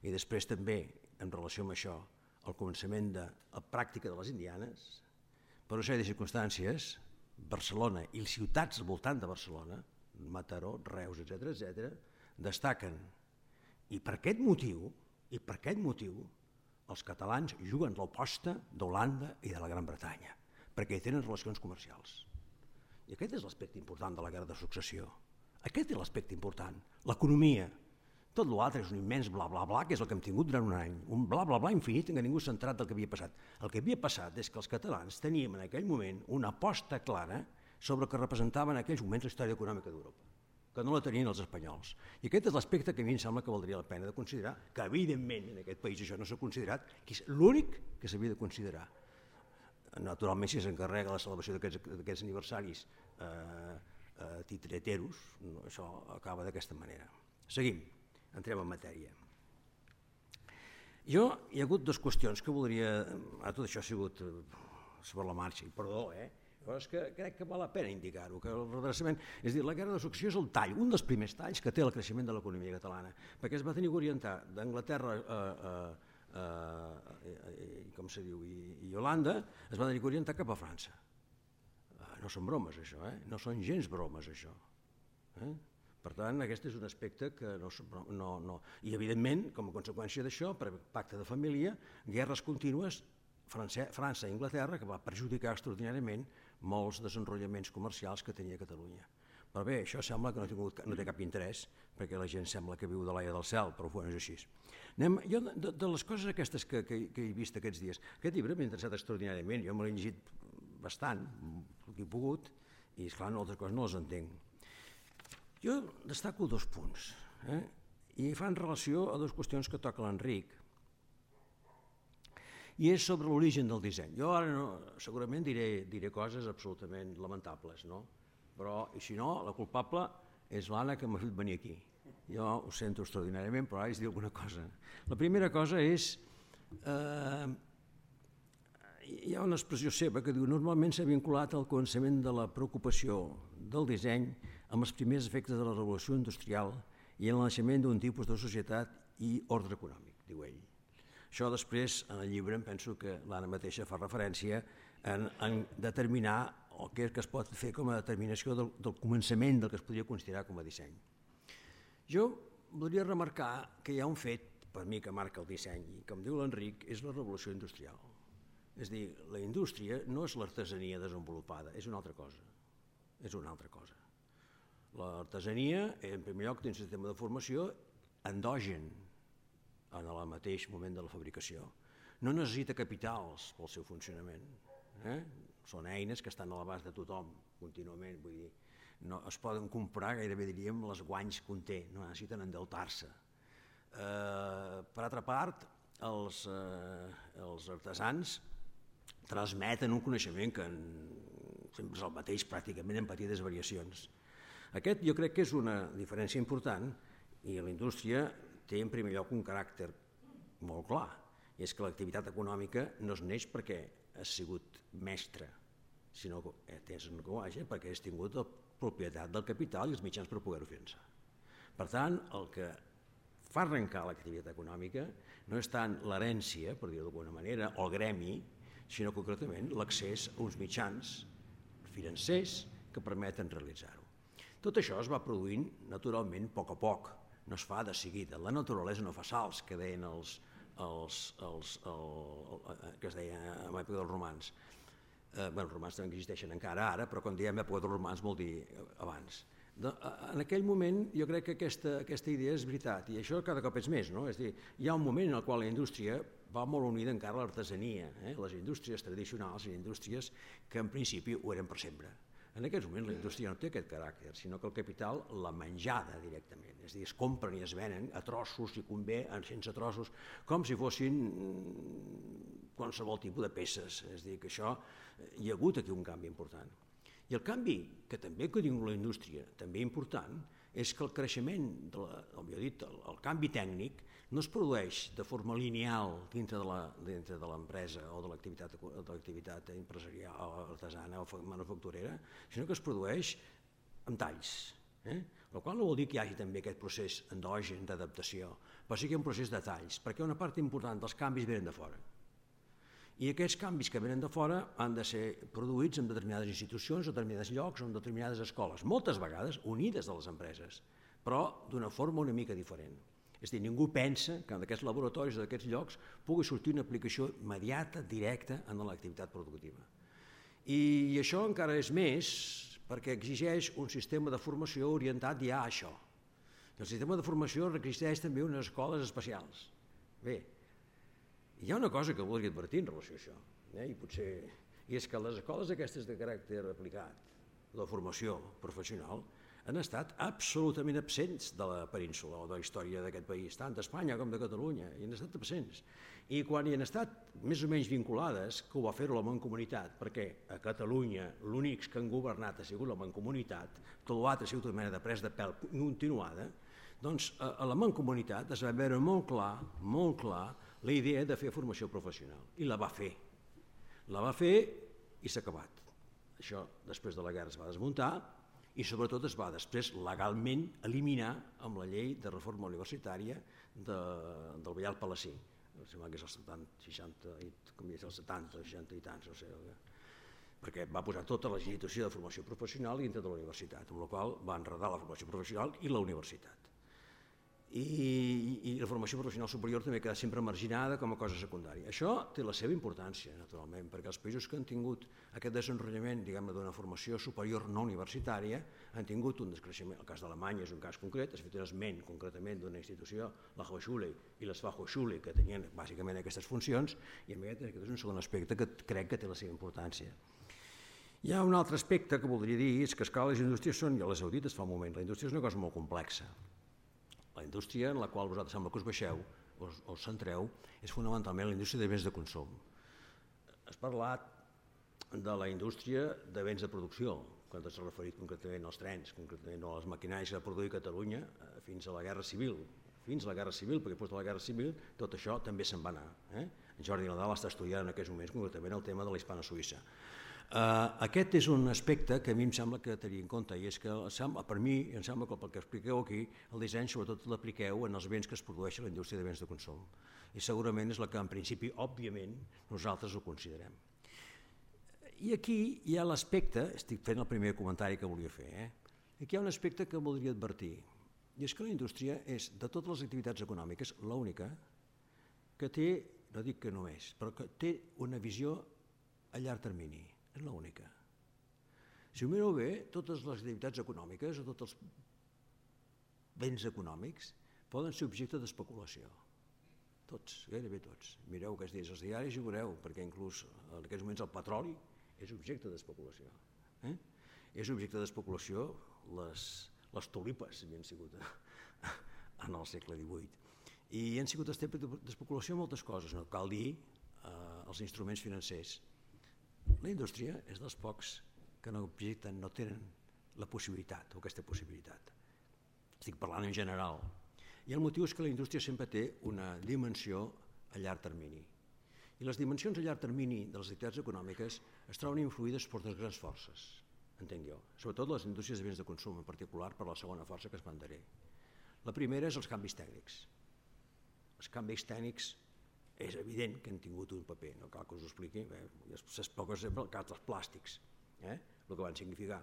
D: i després també, en relació amb això, el començament de la pràctica de les indianes, per una sèrie de circumstàncies, Barcelona i les ciutats al voltant de Barcelona, Mataró, Reus, etcètera, etcètera, destaquen. I per aquest motiu, i per aquest motiu, els catalans juguen l'oposta d'Holanda i de la Gran Bretanya, perquè tenen relacions comercials. I aquest és l'aspecte important de la guerra de successió. Aquest és l'aspecte important, l'economia. Tot l'altre és un immens bla bla bla, que és el que hem tingut durant un any, un bla bla bla infinit en què ningú s'ha entrat del que havia passat. El que havia passat és que els catalans teníem en aquell moment una aposta clara sobre el que representava en aquells moments la història econòmica d'Europa, que no la tenien els espanyols. I aquest és l'aspecte que a mi em sembla que valdria la pena de considerar, que evidentment en aquest país això no s'ha considerat, que és l'únic que s'havia de considerar. Naturalment, si s'encarrega la celebració d'aquests aniversaris eh, eh, titreteros, no, això acaba d'aquesta manera. Seguim, entrem en matèria. Jo, hi ha hagut dues qüestions que voldria... Ah, tot això ha sigut sobre la marxa, i perdó, eh? Però és que crec que val la pena indicar-ho, que el redreçament... És a dir, la guerra de successió és el tall, un dels primers talls que té el creixement de l'economia catalana, perquè es va tenir que orientar d'Anglaterra a... a Uh, i, com se diu, i, i Holanda, es va tenir que orientar cap a França. Uh, no són bromes, això, eh? No són gens bromes, això. Eh? Per tant, aquest és un aspecte que no... no, no. I, evidentment, com a conseqüència d'això, per pacte de família, guerres contínues, França, França i Anglaterra, que va perjudicar extraordinàriament molts desenrotllaments comercials que tenia Catalunya. Però bé, això sembla que no, tingut, no té cap interès, perquè la gent sembla que viu de l'aire del cel, però bueno, és així. Anem, jo, de, de les coses aquestes que, que, que he vist aquests dies, aquest llibre m'ha interessat extraordinàriament, jo me l'he llegit bastant, el que he pogut, i esclar, no, altres coses no les entenc. Jo destaco dos punts, eh? I fan relació a dues qüestions que toca l'Enric, i és sobre l'origen del disseny. Jo ara no, segurament diré, diré coses absolutament lamentables, no? Però, i si no, la culpable és l'Anna que m'ha fet venir aquí. Jo ho sento extraordinàriament, però ara haig de dir alguna cosa. La primera cosa és, eh, hi ha una expressió seva que diu normalment s'ha vinculat al començament de la preocupació del disseny amb els primers efectes de la revolució industrial i el naixement d'un tipus de societat i ordre econòmic, diu ell. Això després, en el llibre, em penso que l'Anna mateixa fa referència en, en determinar el que es pot fer com a determinació del, del començament del que es podria considerar com a disseny. Jo voldria remarcar que hi ha un fet, per mi, que marca el disseny, i com diu l'Enric, és la revolució industrial. És a dir, la indústria no és l'artesania desenvolupada, és una altra cosa. És una altra cosa. L'artesania, en primer lloc, té un sistema de formació endogen en el mateix moment de la fabricació. No necessita capitals pel seu funcionament. Eh? Són eines que estan a l'abast de tothom contínuament, vull dir, no, es poden comprar, gairebé diríem, les guanys que conté, no necessiten endeutar-se. Eh, per altra part, els, eh, els artesans transmeten un coneixement que en, sempre és el mateix pràcticament en petites variacions. Aquest jo crec que és una diferència important i la indústria té en primer lloc un caràcter molt clar, i és que l'activitat econòmica no es neix perquè has sigut mestre, sinó que tens un coatge perquè has tingut la propietat del capital i els mitjans per poder-ho finançar. Per tant, el que fa arrencar l'activitat econòmica no és tant l'herència, per dir-ho d'alguna manera, o el gremi, sinó concretament l'accés a uns mitjans financers que permeten realitzar-ho. Tot això es va produint naturalment a poc a poc, no es fa de seguida. La naturalesa no fa salts, que deien els, els, els, el, el, que es deia en l'època dels romans. Eh, bueno, els romans també existeixen encara ara, però quan diem època dels romans vol dir abans. De, en aquell moment jo crec que aquesta, aquesta idea és veritat, i això cada cop és més, no? És a dir, hi ha un moment en el qual la indústria va molt unida encara a l'artesania, eh? Les indústries tradicionals i indústries que en principi ho eren per sempre. En aquests moments la indústria no té aquest caràcter, sinó que el capital la menjada directament, és a dir, es compren i es venen a trossos, si convé, sense trossos, com si fossin qualsevol tipus de peces, és a dir, que això hi ha hagut aquí un canvi important. I el canvi que també que diu la indústria, també important, és que el creixement, de la, o millor dit, el, el canvi tècnic no es produeix de forma lineal dintre de l'empresa o de l'activitat empresarial, artesana o manufacturera, sinó que es produeix amb talls. Eh? El qual no vol dir que hi hagi també aquest procés endogen d'adaptació, però sí que hi ha un procés de talls, perquè una part important dels canvis venen de fora. I aquests canvis que venen de fora han de ser produïts en determinades institucions, en determinats llocs o en determinades escoles, moltes vegades unides a les empreses, però d'una forma una mica diferent. És a dir, ningú pensa que en aquests laboratoris o d'aquests llocs pugui sortir una aplicació immediata, directa, en l'activitat productiva. I això encara és més perquè exigeix un sistema de formació orientat ja a això. El sistema de formació requereix també unes escoles especials. Bé, hi ha una cosa que voldria advertir en relació a això, eh? I potser, i és que les escoles aquestes de caràcter aplicat, de formació professional, han estat absolutament absents de la península o de la història d'aquest país, tant d'Espanya com de Catalunya, i han estat absents. I quan hi han estat més o menys vinculades, que ho va fer-ho la Mancomunitat, perquè a Catalunya l'únics que han governat ha sigut la Mancomunitat, tot l'altre ha sigut una mena de pres de pèl continuada, doncs a la Mancomunitat es va veure molt clar, molt clar, la idea de fer formació professional, i la va fer. La va fer i s'ha acabat. Això després de la guerra es va desmuntar, i sobretot es va després legalment eliminar amb la llei de reforma universitària de, del Vallal Palací. Em sembla que és el setanta, seixanta, com és el setanta, seixanta i tants, no sé, perquè va posar tota la institució de formació professional dintre de la universitat, amb la qual va enredar la formació professional i la universitat. i, i la formació professional superior també queda sempre marginada com a cosa secundària. Això té la seva importància, naturalment, perquè els països que han tingut aquest desenvolupament, diguem-ne, d'una formació superior no universitària, han tingut un descreixement. El cas d'Alemanya és un cas concret, es fet un esment concretament d'una institució, la Hochschule i les Fachhochschule, que tenien bàsicament aquestes funcions, i a mi aquest és un segon aspecte que crec que té la seva importància. Hi ha un altre aspecte que voldria dir, és que esclar, les indústries són, ja les heu dit fa un moment, la indústria és una cosa molt complexa. La indústria en la qual vosaltres sembla que us baixeu, us, us centreu, és fonamentalment la indústria de béns de consum. Has parlat de la indústria de béns de producció, quan t'has referit concretament als trens, concretament a les maquinàries que va produir Catalunya fins a la Guerra Civil. Fins a la Guerra Civil, perquè després de la Guerra Civil tot això també se'n va anar. Eh? En Jordi Nadal està estudiant en aquests moments concretament el tema de la hispano-suïssa. Uh, aquest és un aspecte que a mi em sembla que tenir en compte, i és que per mi em sembla que pel que expliqueu aquí, el disseny sobretot l'apliqueu en els béns que es produeixen a la indústria de béns de consum. I segurament és la que en principi, òbviament, nosaltres ho considerem. I aquí hi ha l'aspecte, estic fent el primer comentari que volia fer, eh? Aquí hi ha un aspecte que voldria advertir, i és que la indústria és, de totes les activitats econòmiques, l'única que té, no dic que només, però que té una visió a llarg termini. És l'única. Si ho mireu bé, totes les activitats econòmiques o tots els béns econòmics poden ser objecte d'especulació. Tots, gairebé tots. Mireu aquests dies els diaris i veureu, perquè inclús en aquests moments el petroli és objecte d'especulació. Eh? És objecte d'especulació les, les tulipes, havien sigut en el segle divuit. I han sigut d'especulació moltes coses, no cal dir eh, els instruments financers. La indústria és dels pocs que no objecten, no tenen la possibilitat o aquesta possibilitat. Estic parlant en general. I el motiu és que la indústria sempre té una dimensió a llarg termini. I les dimensions a llarg termini de les activitats econòmiques es troben influïdes per dues grans forces, entenc jo, sobretot les indústries de béns de consum, en particular per la segona força que es esmentaré. La primera és els canvis tècnics. Els canvis tècnics és evident que han tingut un paper, no cal que us ho expliqui, s'explica sempre el cas dels plàstics, eh? El que van significar.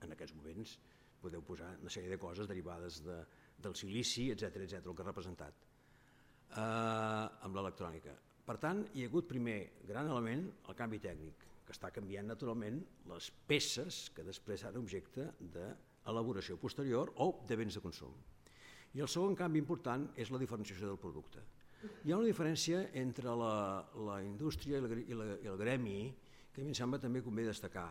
D: En aquests moments podeu posar una sèrie de coses derivades de, del silici, etcètera, etcètera, el que ha representat eh, amb l'electrònica. Per tant, hi ha hagut primer gran element el canvi tècnic, que està canviant naturalment les peces que després seran objecte d'elaboració posterior o de béns de consum. I el segon canvi important és la diferenciació del producte. Hi ha una diferència entre la, la indústria i, la, i, la, i el gremi que a mi em sembla també convé destacar.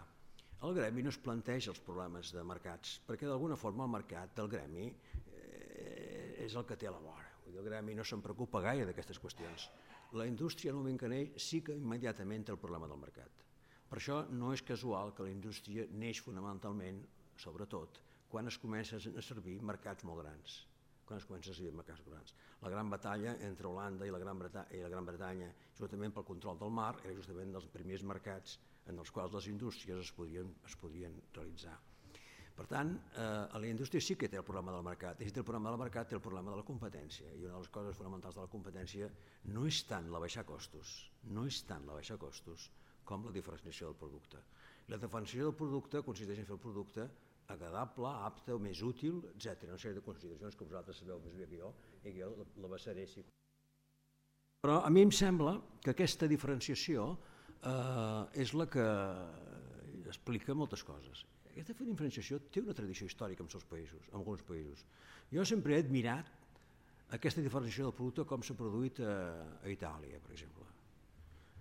D: El gremi no es planteja els problemes de mercats, perquè d'alguna forma el mercat del gremi eh, és el que té a la vora. El gremi no se'n preocupa gaire d'aquestes qüestions. La indústria, en el moment que neix, sí que immediatament té el problema del mercat. Per això no és casual que la indústria neix fonamentalment, sobretot, quan es comencen a servir mercats molt grans. quan es comença a servir mercats grans. La gran batalla entre Holanda i la Gran Bretanya, i la Gran Bretanya, justament pel control del mar, era justament dels primers mercats en els quals les indústries es podien, es podien realitzar. Per tant, eh, la indústria sí que té el problema del mercat, i si té el problema del mercat té el problema de la competència, i una de les coses fonamentals de la competència no és tant la baixar costos, no és tant la baixar costos com la diferenciació del producte. La diferenciació del producte consisteix en fer el producte agradable, apte, més útil, etcètera. Una sèrie de consideracions que vosaltres sabeu més bé que jo i que jo la basaré. Sí. Però a mi em sembla que aquesta diferenciació eh, és la que explica moltes coses. Aquesta diferenciació té una tradició històrica en els països, en alguns països. Jo sempre he admirat aquesta diferenciació del producte com s'ha produït a, a Itàlia, per exemple.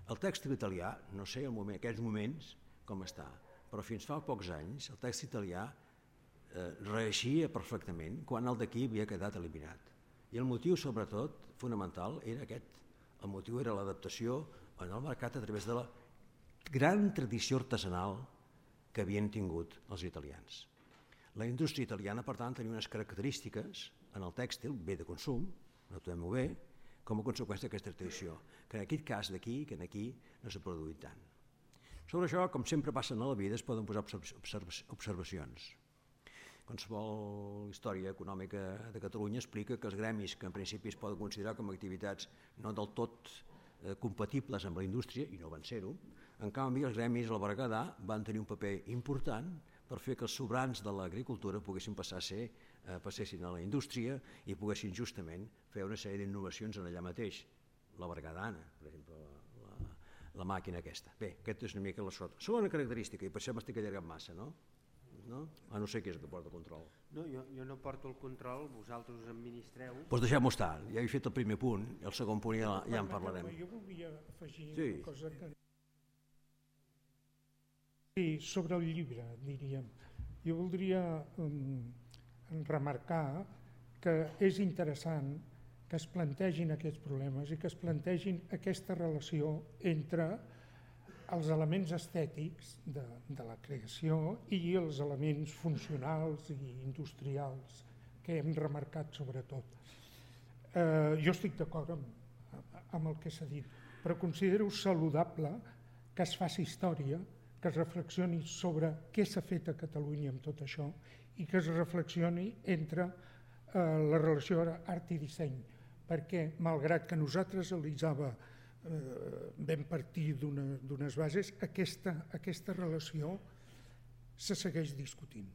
D: El tèxtil italià, no sé en moment, aquests moments com està, però fins fa pocs anys el tèxtil italià eh, reeixia perfectament quan el d'aquí havia quedat eliminat. I el motiu, sobretot, fonamental, era aquest. El motiu era l'adaptació en el mercat a través de la gran tradició artesanal que havien tingut els italians. La indústria italiana, per tant, tenia unes característiques en el tèxtil, bé de consum, notem-ho bé, com a conseqüència d'aquesta tradició, que en aquest cas d'aquí, que aquí no s'ha produït tant. Sobre això, com sempre passa a la vida, es poden posar observacions. Qualsevol història econòmica de Catalunya explica que els gremis, que en principi es poden considerar com a activitats no del tot eh, compatibles amb la indústria, i no van ser-ho, en canvi els gremis al Berguedà van tenir un paper important per fer que els sobrants de l'agricultura poguessin passar a ser, eh, passessin a la indústria i poguessin justament fer una sèrie d'innovacions en allà mateix. La bergadana, per exemple, la, la, la màquina aquesta. Bé, aquesta és una mica la sota. Segona característica, i per això m'estic allargant massa, no? No? Ah, no sé què és el que porta el control.
A: No, jo, jo no porto el control, vosaltres us administreu.
D: Doncs deixem-ho estar, ja he fet el primer punt, i el segon punt ja, ja en parlarem.
C: Jo volia afegir
D: sí.
C: una cosa que... Sí, sobre el llibre, diríem. Jo voldria um, remarcar que és interessant que es plantegin aquests problemes i que es plantegin aquesta relació entre els elements estètics de, de la creació i els elements funcionals i industrials que hem remarcat sobretot. Eh, jo estic d'acord amb, amb el que s'ha dit, però considero saludable que es faci història, que es reflexioni sobre què s'ha fet a Catalunya amb tot això i que es reflexioni entre eh, la relació art i disseny, perquè malgrat que nosaltres Elisava Eh, vam partir d'unes bases, aquesta, aquesta relació se segueix discutint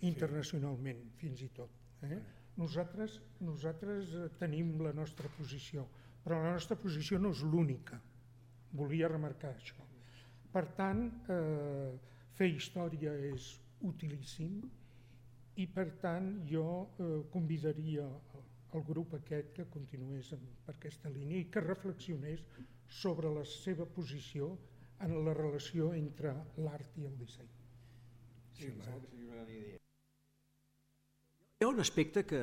C: internacionalment fins i tot. Eh? Nosaltres, nosaltres tenim la nostra posició, però la nostra posició no és l'única, volia remarcar això. Per tant, eh, fer història és utilíssim i per tant jo eh, convidaria el grup aquest que continués per aquesta línia i que reflexionés sobre la seva posició en la relació entre l'art i el disseny.
D: Sí, hi ha un aspecte que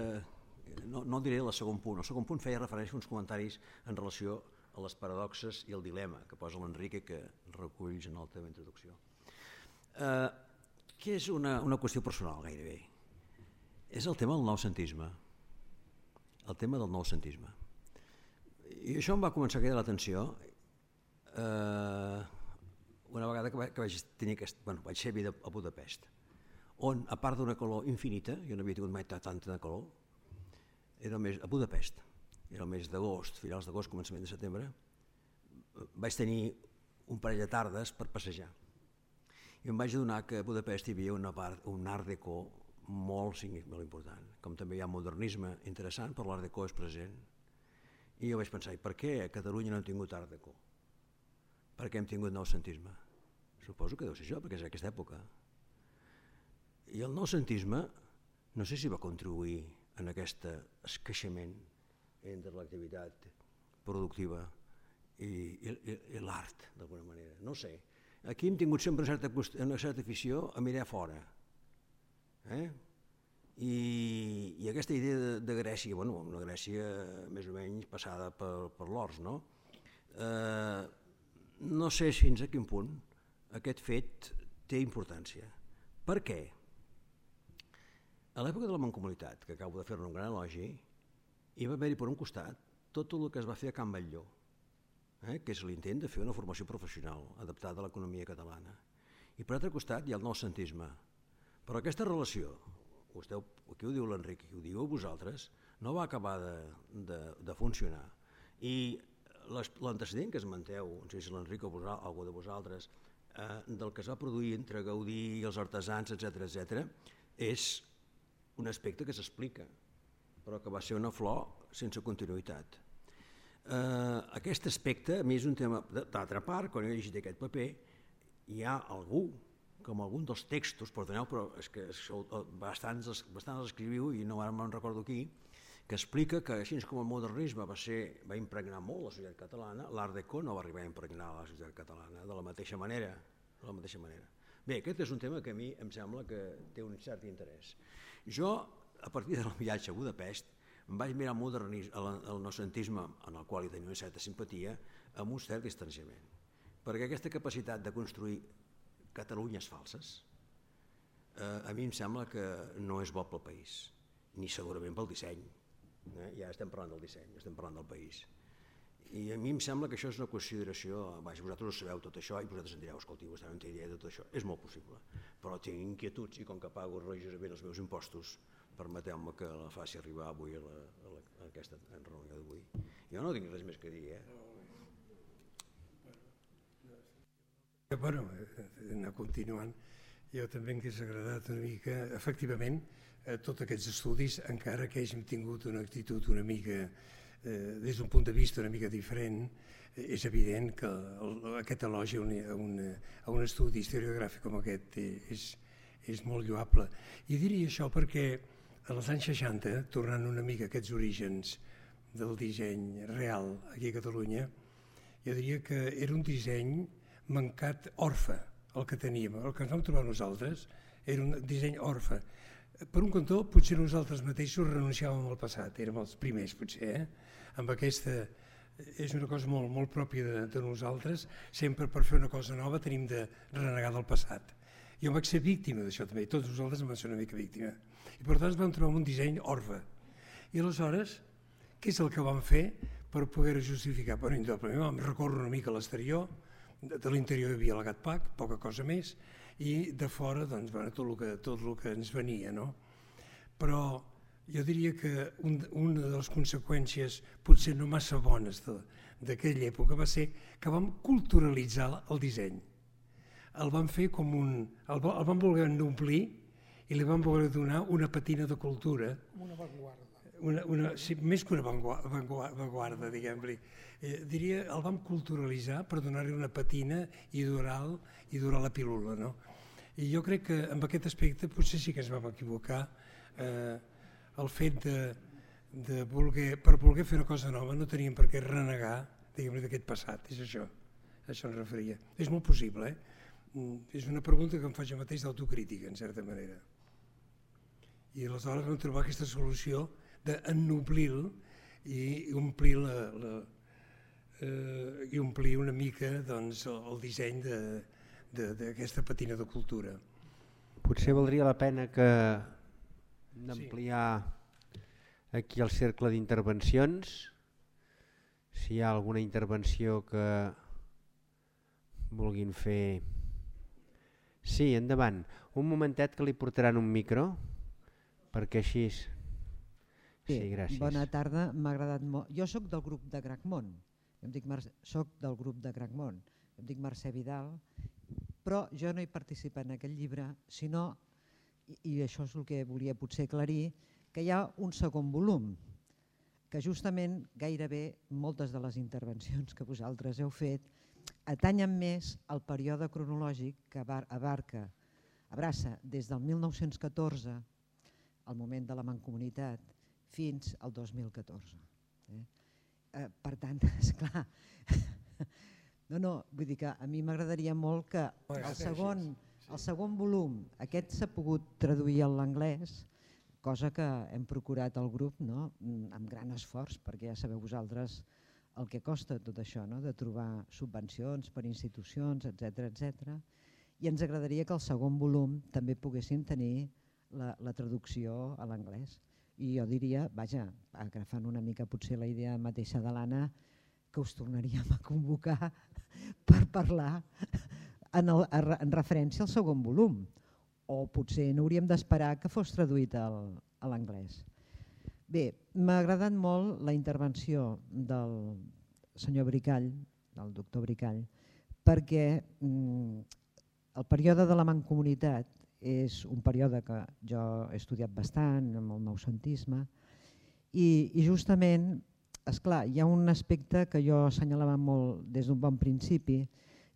D: no, no diré el segon punt. El segon punt feia referència a uns comentaris en relació a les paradoxes i el dilema que posa l'Enrique, que reculls en la teva introducció. Eh, que és una, una qüestió personal gairebé. És el tema del noucentisme. El tema del noucentisme. I això em va començar a cridar l'atenció eh, una vegada que, va, que vaig tenir aquest, bueno, vaig ser a Budapest, on, a part d'una calor infinita, jo no havia tingut mai tanta de calor, era el mes, a Budapest, era el mes d'agost, finals d'agost, començament de setembre, vaig tenir un parell de tardes per passejar. I em vaig adonar que a Budapest hi havia una part, un art déco molt, molt important, com també hi ha modernisme interessant, però l'art déco és present. I jo vaig pensar, i per què a Catalunya no hem tingut art déco? Per què hem tingut noucentisme? Suposo que deu ser això, perquè és aquesta època. I el noucentisme, no sé si va contribuir en aquest esqueixement entre l'activitat productiva i, i, i l'art, d'alguna manera. No sé. Aquí hem tingut sempre una certa, una certa afició a mirar fora. Eh? I, i aquesta idea de, de Grècia, bueno, una Grècia més o menys passada per, per l'Ors, no? Eh, no sé fins a quin punt aquest fet té importància. Per què? A l'època de la Mancomunitat, que acabo de fer-ne un gran elogi, hi va haver-hi per un costat tot el que es va fer a Can Batlló, eh? que és l'intent de fer una formació professional adaptada a l'economia catalana. I per altre costat hi ha el noucentisme. Però aquesta relació, vostè, aquí ho diu l'Enric, ho diu vosaltres, no va acabar de, de, de funcionar. I l'antecedent que esmenteu, no sé si l'Enric o algú de vosaltres, eh, del que es va produir entre Gaudí i els artesans, etcètera, etcètera, és un aspecte que s'explica, però que va ser una flor sense continuïtat. Eh, aquest aspecte, a mi és un tema, d'altra part, quan he llegit aquest paper, hi ha algú, com algun dels textos, perdoneu, però és que bastants, bastants els escriviu i no ara me'n recordo qui, que explica que així com el modernisme va, ser, va impregnar molt la societat catalana, l'art déco no va arribar a impregnar la societat catalana de la mateixa manera. De la mateixa manera. Bé, aquest és un tema que a mi em sembla que té un cert interès. Jo, a partir del viatge a Budapest, em vaig mirar el, el noucentisme, en el qual hi tenia una certa simpatia, amb un cert distanciament. Perquè aquesta capacitat de construir Catalunyes falses, eh, a mi em sembla que no és bo pel país, ni segurament pel disseny. Eh? Ja estem parlant del disseny, estem parlant del país. I a mi em sembla que això és una consideració, vaja, vosaltres ho sabeu tot això i vosaltres em direu, escolti, vostè no té idea de tot això, és molt possible, però tinc inquietuds i com que pago religiosament els meus impostos, permeteu-me que la faci arribar avui a, la, a, la, a aquesta reunió d'avui. Jo no tinc res més que dir, eh?
B: Bueno, anar continuant, Jo també m'hagués agradat una mica, efectivament, eh, tots aquests estudis, encara que hàgim tingut una actitud una mica, eh, des d'un punt de vista una mica diferent, eh, és evident que el, aquest elogi a un, a, un, a un estudi historiogràfic com aquest eh, és, és molt lloable. I diria això perquè als anys seixanta, tornant una mica a aquests orígens del disseny real aquí a Catalunya, jo diria que era un disseny mancat orfe, el que teníem. El que ens vam trobar nosaltres era un disseny orfe. Per un cantó, potser nosaltres mateixos renunciàvem al passat, érem els primers potser, eh? Amb aquesta, és una cosa molt, molt pròpia de, de nosaltres, sempre per fer una cosa nova tenim de renegar del passat. Jo vaig ser víctima d'això també, tots nosaltres vam ser una mica víctima. I per tant ens vam trobar un disseny orfe. I aleshores, què és el que vam fer per poder justificar? Bueno, indudablement vam recórrer una mica a l'exterior, de, de l'interior hi havia el Gatpac, poca cosa més, i de fora doncs, bueno, tot, el que, tot el que ens venia. No? Però jo diria que un, una de les conseqüències potser no massa bones d'aquella època va ser que vam culturalitzar el disseny. El vam fer com un... el, el vam voler omplir i li vam voler donar una patina de cultura.
C: Una avantguarda.
B: Una, una, sí, més que una avantguarda, diguem-li. Eh, diria, el vam culturalitzar per donar-li una patina i durar, i durar la pílula. No? I jo crec que en aquest aspecte potser sí que ens vam equivocar. Eh, el fet de, de voler, per voler fer una cosa nova no teníem per què renegar, diguem-li, d'aquest passat. És això, a això ens referia. És molt possible, eh? És una pregunta que em faig jo mateix d'autocrítica, en certa manera. I aleshores vam trobar aquesta solució d'ennoblir-lo i omplir la, la, eh, i omplir una mica doncs, el disseny d'aquesta patina de cultura.
A: Potser valdria la pena que d'ampliar aquí el cercle d'intervencions, si hi ha alguna intervenció que vulguin fer. Sí, endavant. Un momentet que li portaran un micro, perquè així...
E: Bé,
A: sí, gràcies.
E: Bona tarda, m'ha agradat molt. Jo sóc del grup de Gracmont, em dic Mar... soc del grup de Gracmont, em dic Mercè Vidal, però jo no he participat en aquest llibre, sinó, i, i això és el que volia potser aclarir, que hi ha un segon volum, que justament gairebé moltes de les intervencions que vosaltres heu fet atanyen més al període cronològic que abarca, abraça des del mil nou-cents catorze, al moment de la Mancomunitat, fins al dos mil catorze. Eh? Eh, per tant, esclar, no, no, vull dir que a mi m'agradaria molt que el segon, el segon volum, aquest s'ha pogut traduir a l'anglès, cosa que hem procurat al grup, no? Amb gran esforç, perquè ja sabeu vosaltres el que costa tot això, no? De trobar subvencions per institucions, etcètera, etcètera. I ens agradaria que el segon volum també poguessin tenir la, la traducció a l'anglès. I jo diria, vaja, agafant una mica potser la idea mateixa de l'Anna, que us tornaríem a convocar per parlar en, el, en referència al segon volum. O potser no hauríem d'esperar que fos traduït al, a l'anglès. Bé, m'ha agradat molt la intervenció del senyor Bricall, del doctor Bricall, perquè mm, el període de la Mancomunitat és un període que jo he estudiat bastant, amb el noucentisme, i, i justament, esclar, hi ha un aspecte que jo assenyalava molt des d'un bon principi,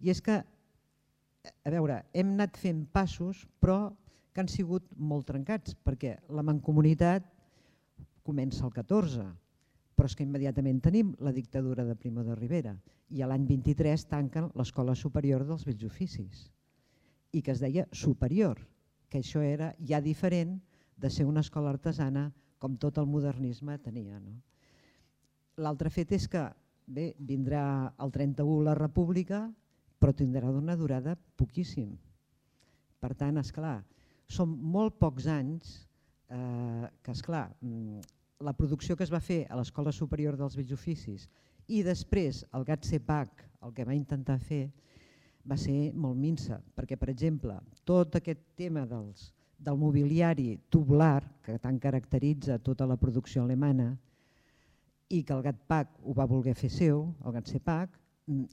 E: i és que, a veure, hem anat fent passos, però que han sigut molt trencats, perquè la Mancomunitat comença el catorze, però és que immediatament tenim la dictadura de Primo de Rivera i a l'any vint-i-tres tanquen l'Escola Superior dels Bells Oficis i que es deia superior, que això era ja diferent de ser una escola artesana com tot el modernisme tenia. No? L'altre fet és que bé, vindrà el trenta-u la República, però tindrà una durada poquíssim. Per tant, esclar, són molt pocs anys eh, que, esclar, la producció que es va fer a l'Escola Superior dels Bells Oficis i després el GATSEPAC, el que va intentar fer, va ser molt minsa, perquè, per exemple, tot aquest tema dels, del mobiliari tubular, que tant caracteritza tota la producció alemana, i que el GATPAC ho va voler fer seu, el GATSEPAC,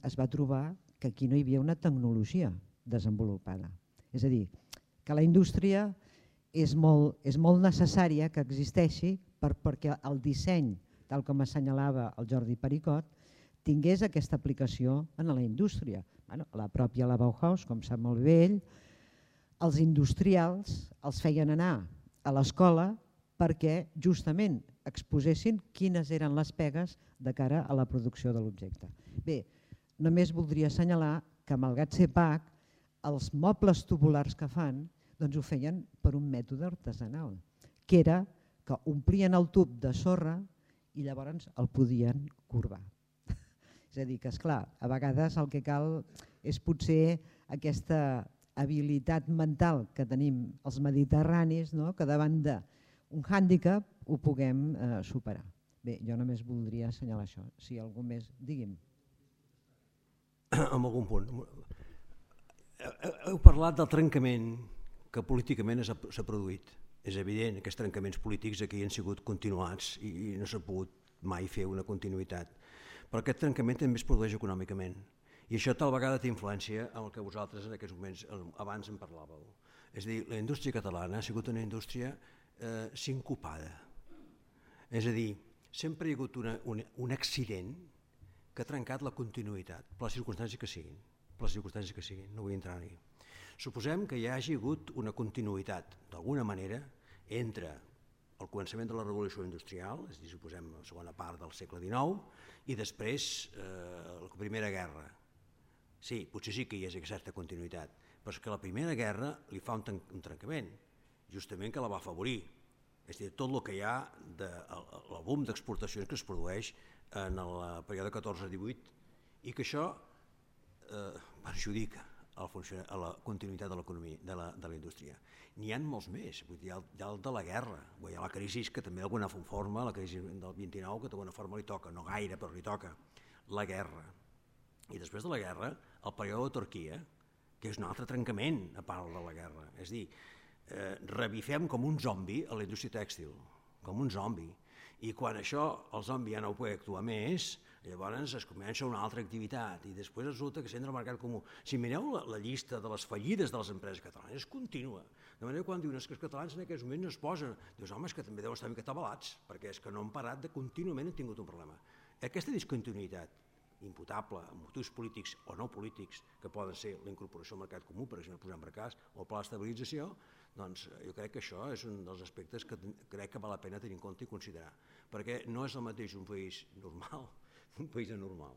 E: es va trobar que aquí no hi havia una tecnologia desenvolupada. És a dir, que la indústria és molt, és molt necessària que existeixi per, perquè el disseny, tal com assenyalava el Jordi Pericot, tingués aquesta aplicació en la indústria. Bueno, la pròpia la Bauhaus, com sap molt bé ell, els industrials els feien anar a l'escola perquè justament exposessin quines eren les pegues de cara a la producció de l'objecte. Bé, només voldria assenyalar que, malgrat ser P A C, els mobles tubulars que fan doncs ho feien per un mètode artesanal, que era que omplien el tub de sorra i llavors el podien corbar. És a dir, que esclar, a vegades el que cal és potser aquesta habilitat mental que tenim els mediterranis, no? Que davant d'un hàndicap ho puguem eh, superar. Bé, jo només voldria assenyalar això. Si algú més, digui'm.
D: En algun punt. Heu parlat del trencament que políticament s'ha produït. És evident, aquests trencaments polítics aquí han sigut continuats i no s'ha pogut mai fer una continuïtat. Però aquest trencament també es produeix econòmicament. I això tal vegada té influència en el que vosaltres en aquests moments abans en parlàveu. És a dir, la indústria catalana ha sigut una indústria eh, sincopada. És a dir, sempre hi ha hagut una, una, un accident que ha trencat la continuïtat, per les circumstàncies que siguin. Per les circumstàncies que siguin, no vull entrar-hi. Suposem que hi hagi hagut una continuïtat, d'alguna manera, entre el començament de la revolució industrial, és a dir, suposem la segona part del segle dinou, i després eh, la Primera Guerra. Sí, potser sí que hi ha certa continuïtat, però és que la Primera Guerra li fa un, un trencament, justament que la va afavorir. És a dir, tot el que hi ha de el boom d'exportacions que es produeix en el període catorze divuit i que això eh, perjudica a la, a la continuïtat de l'economia, de, la, de la indústria. N'hi ha molts més, vull dir, hi ha el, hi ha el de la guerra, hi ha la crisi que també d'alguna forma, la crisi del vint-i-nou, que d'alguna forma li toca, no gaire, però li toca, la guerra. I després de la guerra, el període de Turquia, que és un altre trencament a part de la guerra. És a dir, eh, revifem com un zombi a la indústria tèxtil, com un zombi. I quan això, el zombi ja no pot actuar més, llavors es comença una altra activitat i després resulta que s'entra al mercat comú. Si mireu la, la llista de les fallides de les empreses catalanes, és contínua. De manera que quan diuen que els catalans en aquests moments no es posen, dius, home, és que també deuen estar una mica atabalats, perquè és que no han parat de contínuament han tingut un problema. Aquesta discontinuïtat imputable a motius polítics o no polítics, que poden ser la incorporació al mercat comú, per exemple, posem per cas, o el pla d'estabilització, doncs jo crec que això és un dels aspectes que crec que val la pena tenir en compte i considerar, perquè no és el mateix un país normal un país anormal.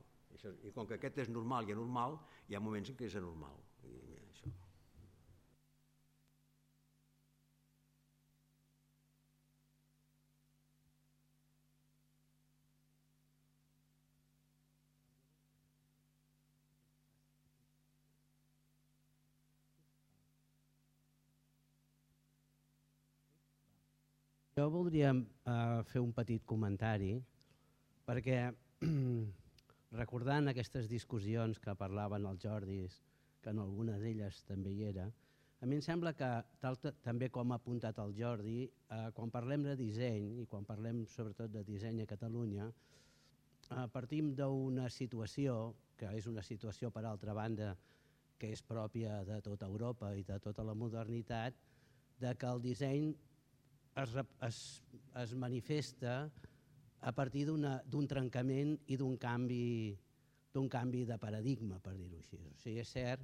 D: I com que aquest és normal i anormal, hi ha moments en què és anormal. I això.
A: Jo voldria uh, fer un petit comentari, perquè recordant aquestes discussions que parlaven els Jordis, que en alguna d'elles també hi era, a mi em sembla que, tal, també com ha apuntat el Jordi, eh, quan parlem de disseny, i quan parlem sobretot de disseny a Catalunya, eh, partim d'una situació, que és una situació per altra banda, que és pròpia de tota Europa i de tota la modernitat, de que el disseny es, es, es manifesta a partir d'un trencament i d'un canvi, d'un canvi de paradigma, per dir-ho així. O sigui, és cert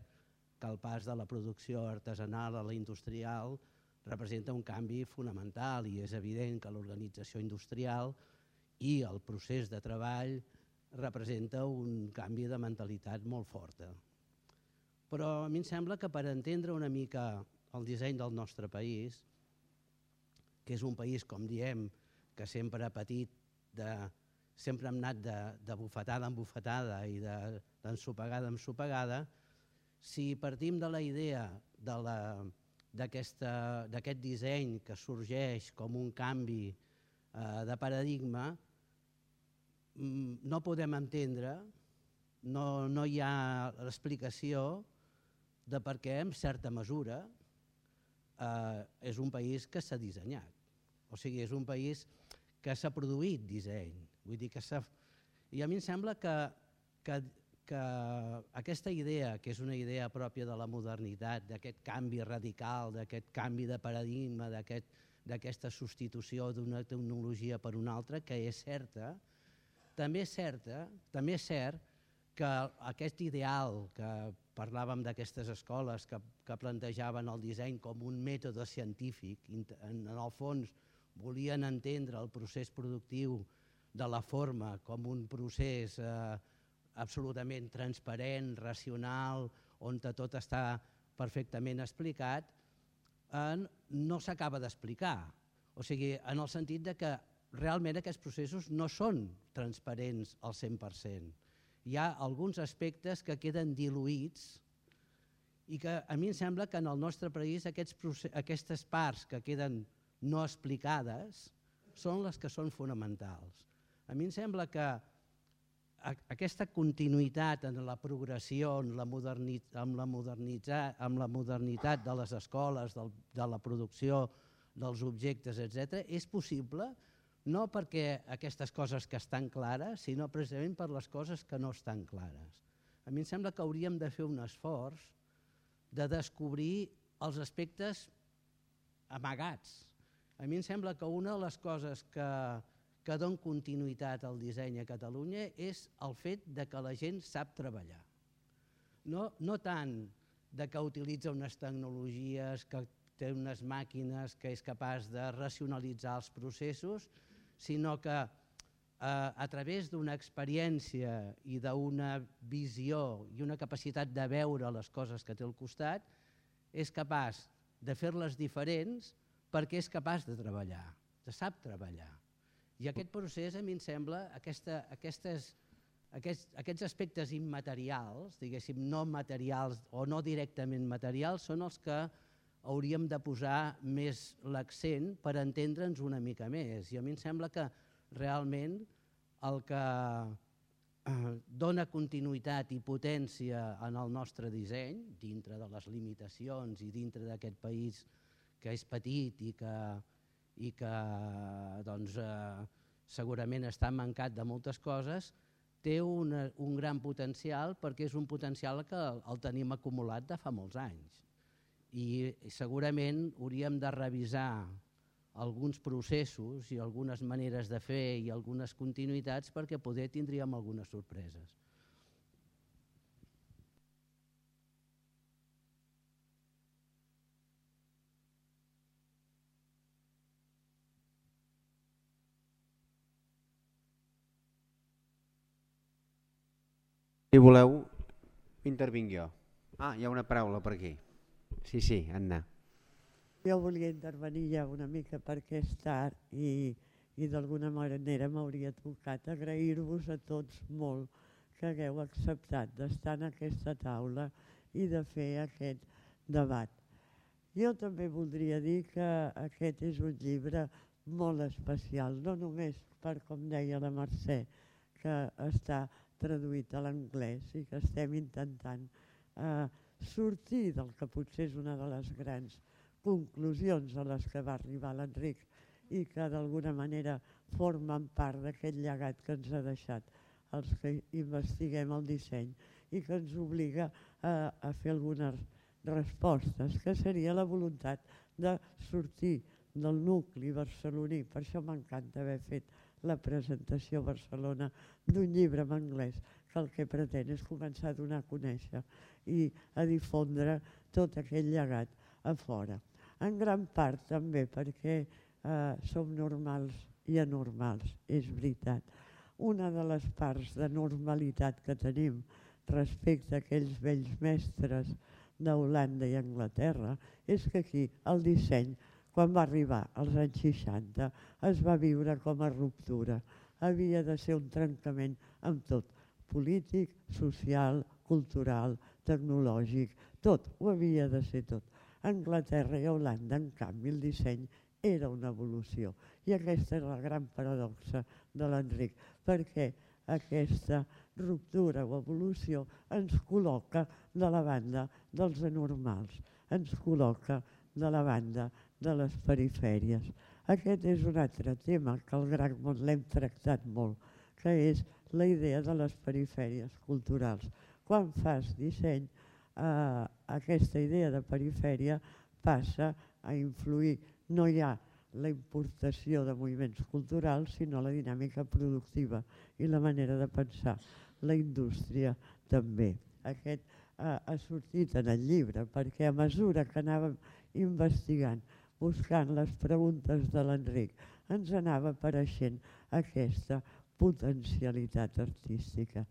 A: que el pas de la producció artesanal a la industrial representa un canvi fonamental i és evident que l'organització industrial i el procés de treball representa un canvi de mentalitat molt forta. Però a mi em sembla que per entendre una mica el disseny del nostre país, que és un país, com diem, que sempre ha patit de, sempre hem anat de, de bufetada en bufetada i d'ensopegada en ensopegada, si partim de la idea d'aquest disseny que sorgeix com un canvi eh, de paradigma, no podem entendre, no, no hi ha l'explicació de per què, en certa mesura, eh, és un país que s'ha dissenyat. O sigui, és un país que s'ha produït disseny. Vull dir que s'ha... I a mi em sembla que, que, que
F: que aquesta idea, que és una idea pròpia de la modernitat, d'aquest canvi radical, d'aquest canvi de paradigma, d'aquesta substitució d'una tecnologia per una altra, que és certa, també és certa, també és cert que aquest ideal que parlàvem d'aquestes escoles que, que plantejaven el disseny com un mètode científic, en el fons volien entendre el procés productiu de la forma com un procés eh, absolutament transparent, racional, on tot està perfectament explicat, eh, no s'acaba d'explicar. O sigui, en el sentit de que realment aquests processos no són transparents al cent per cent. Hi ha alguns aspectes que queden diluïts i que a mi em sembla que en el nostre país aquests, aquestes parts que queden no explicades són les que són fonamentals. A mi em sembla que aquesta continuïtat en la progressió, en la modernitat, amb, la modernitat, amb la modernitat de les escoles, del, de la producció dels objectes, etcètera, és possible no perquè aquestes coses que estan clares, sinó precisament per les coses que no estan clares. A mi em sembla que hauríem de fer un esforç de descobrir els aspectes amagats. A mi em sembla que una de les coses que, que dona continuïtat al disseny a Catalunya és el fet de que la gent sap treballar. No, no tant de que utilitza unes tecnologies, que té unes màquines, que és capaç de racionalitzar els processos, sinó que eh, a través d'una experiència i d'una visió i una capacitat de veure les coses que té al costat, és capaç de fer-les diferents perquè és capaç de treballar, de sap treballar. I aquest procés, a mi em sembla, aquesta, aquestes, aquests, aquests aspectes immaterials, diguéssim, no materials o no directament materials, són els que hauríem de posar més l'accent per entendre'ns una mica més. I a mi em sembla que realment el que dona continuïtat i potència en el nostre disseny, dintre de les limitacions i dintre d'aquest país que és petit i que, i que doncs, eh, segurament està mancat de moltes coses, té una, un gran potencial perquè és un potencial que el tenim acumulat de fa molts anys. I segurament hauríem de revisar alguns processos i algunes maneres de fer i algunes continuïtats perquè poder tindríem algunes sorpreses.
A: Si voleu, intervinc jo. Ah, hi ha una paraula per aquí. Sí, sí, Anna.
G: Jo volia intervenir ja una mica perquè és tard i, i d'alguna manera m'hauria tocat agrair-vos a tots molt que hagueu acceptat d'estar en aquesta taula i de fer aquest debat. Jo també voldria dir que aquest és un llibre molt especial, no només per, com deia la Mercè, que està traduït a l'anglès i que estem intentant eh, sortir del que potser és una de les grans conclusions a les que va arribar l'Enric i que d'alguna manera formen part d'aquest llegat que ens ha deixat els que investiguem el disseny i que ens obliga a, a fer algunes respostes, que seria la voluntat de sortir del nucli barceloní. Per això m'encanta haver fet la presentació a Barcelona d'un llibre en anglès que el que pretén és començar a donar a conèixer i a difondre tot aquell llegat a fora. En gran part també perquè eh, som normals i anormals, és veritat. Una de les parts de normalitat que tenim respecte a aquells vells mestres d'Holanda i Anglaterra és que aquí el disseny, quan va arribar als anys seixanta, es va viure com a ruptura. Havia de ser un trencament amb tot, polític, social, cultural, tecnològic, tot, ho havia de ser tot. A Anglaterra i a Holanda, en canvi, el disseny era una evolució. I aquesta és la gran paradoxa de l'Enric, perquè aquesta ruptura o evolució ens col·loca de la banda dels anormals, ens col·loca de la banda de les perifèries. Aquest és un altre tema que al Gran Món l'hem tractat molt, que és la idea de les perifèries culturals. Quan fas disseny, eh, aquesta idea de perifèria passa a influir, no hi ha la importació de moviments culturals, sinó la dinàmica productiva i la manera de pensar. La indústria també. Aquest eh, ha sortit en el llibre, perquè a mesura que anàvem investigant, buscant les preguntes de l'Enric, ens anava apareixent aquesta potencialitat artística.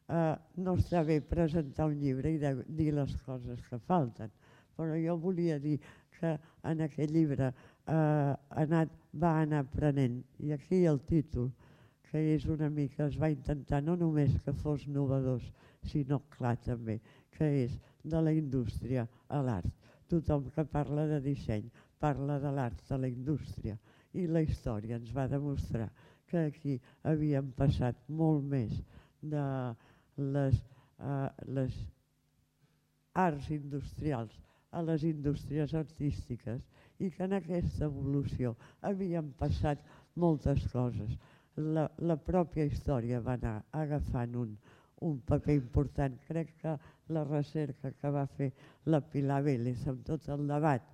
G: Eh, no està bé presentar un llibre i de, dir les coses que falten, però jo volia dir que en aquest llibre eh, anat, va anar aprenent, i aquí el títol, que és una mica, es va intentar no només que fos novedós, sinó clar també, que és de la indústria a l'art. Tothom que parla de disseny parla de l'art de la indústria, i la història ens va demostrar que aquí havíem passat molt més de les, uh, les arts industrials a les indústries artístiques, i que en aquesta evolució havien passat moltes coses. La, la pròpia història va anar agafant un, un paper important. Crec que la recerca que va fer la Pilar Vélez amb tot el debat,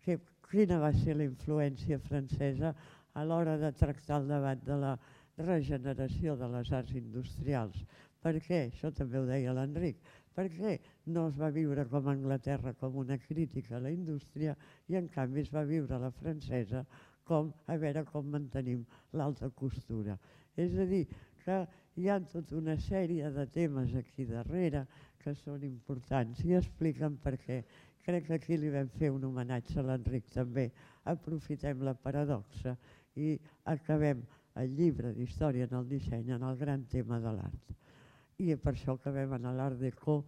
G: que, quina va ser la influència francesa a l'hora de tractar el debat de la regeneració de les arts industrials. Per què? Això també ho deia l'Enric. Per què no es va viure com a Anglaterra com una crítica a la indústria i en canvi es va viure a la francesa com a veure com mantenim l'alta costura? És a dir, que hi ha tota una sèrie de temes aquí darrere que són importants i expliquen per què. Crec que aquí li vam fer un homenatge a l'Enric també. Aprofitem la paradoxa i acabem el llibre d'història en el disseny en el gran tema de l'art. I per això acabem en l'Art Déco,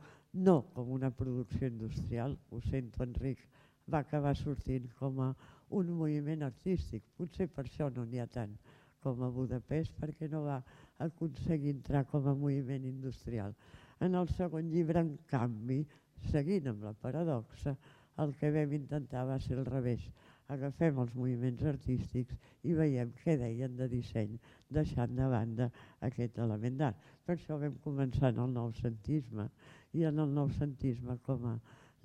G: no com una producció industrial, ho sento Enric, va acabar sortint com a un moviment artístic. Potser per això no n'hi ha tant com a Budapest, perquè no va aconseguir entrar com a moviment industrial. En el segon llibre, en canvi, seguint amb la paradoxa, el que vam intentar va ser al revés. Agafem els moviments artístics i veiem què deien de disseny, deixant de banda aquest element d'art. Per això vam començar en el noucentisme i en el noucentisme com a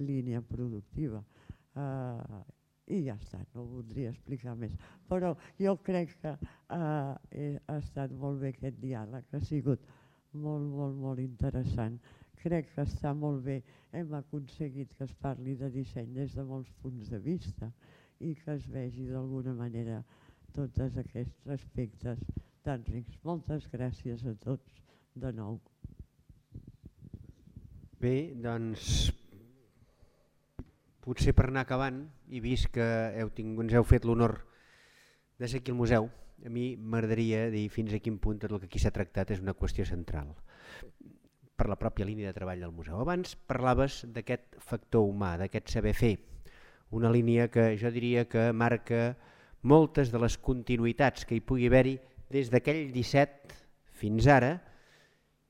G: línia productiva. Uh, I ja està, no ho voldria explicar més. Però jo crec que uh, ha estat molt bé aquest diàleg, ha sigut molt, molt, molt interessant. Crec que està molt bé, hem aconseguit que es parli de disseny des de molts punts de vista i que es vegi d'alguna manera tots aquests aspectes tan rics. Moltes gràcies a tots de nou.
A: Bé, doncs potser per anar acabant, i vist que heu tingut, ens heu fet l'honor de ser aquí al museu, a mi m'agradaria dir fins a quin punt tot el que aquí s'ha tractat és una qüestió central per la pròpia línia de treball del museu. Abans parlaves d'aquest factor humà, d'aquest saber fer, una línia que jo diria que marca moltes de les continuïtats que hi pugui haver-hi des d'aquell disset fins ara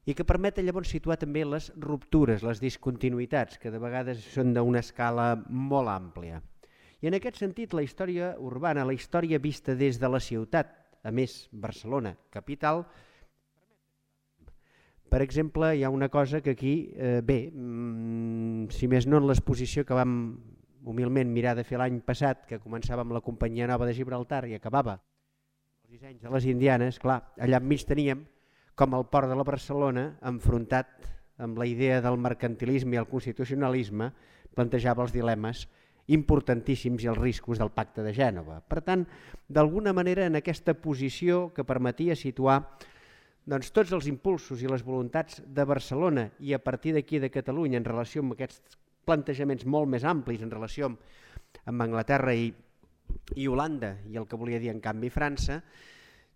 A: i que permeten llavors situar també les ruptures, les discontinuïtats, que de vegades són d'una escala molt àmplia. I en aquest sentit la història urbana, la història vista des de la ciutat, a més Barcelona, capital, per exemple, hi ha una cosa que aquí, eh, bé, mm, si més no en l'exposició que vam humilment mirar de fer l'any passat, que començava amb la Companyia Nova de Gibraltar i acabava els dissenys de les Indianes, clar, allà enmig teníem com el port de la Barcelona, enfrontat amb la idea del mercantilisme i el constitucionalisme, plantejava els dilemes importantíssims i els riscos del Pacte de Gènova. Per tant, d'alguna manera en aquesta posició que permetia situar doncs, tots els impulsos i les voluntats de Barcelona i a partir d'aquí de Catalunya en relació amb aquests plantejaments molt més amplis en relació amb, amb Anglaterra i, i Holanda i el que volia dir en canvi França,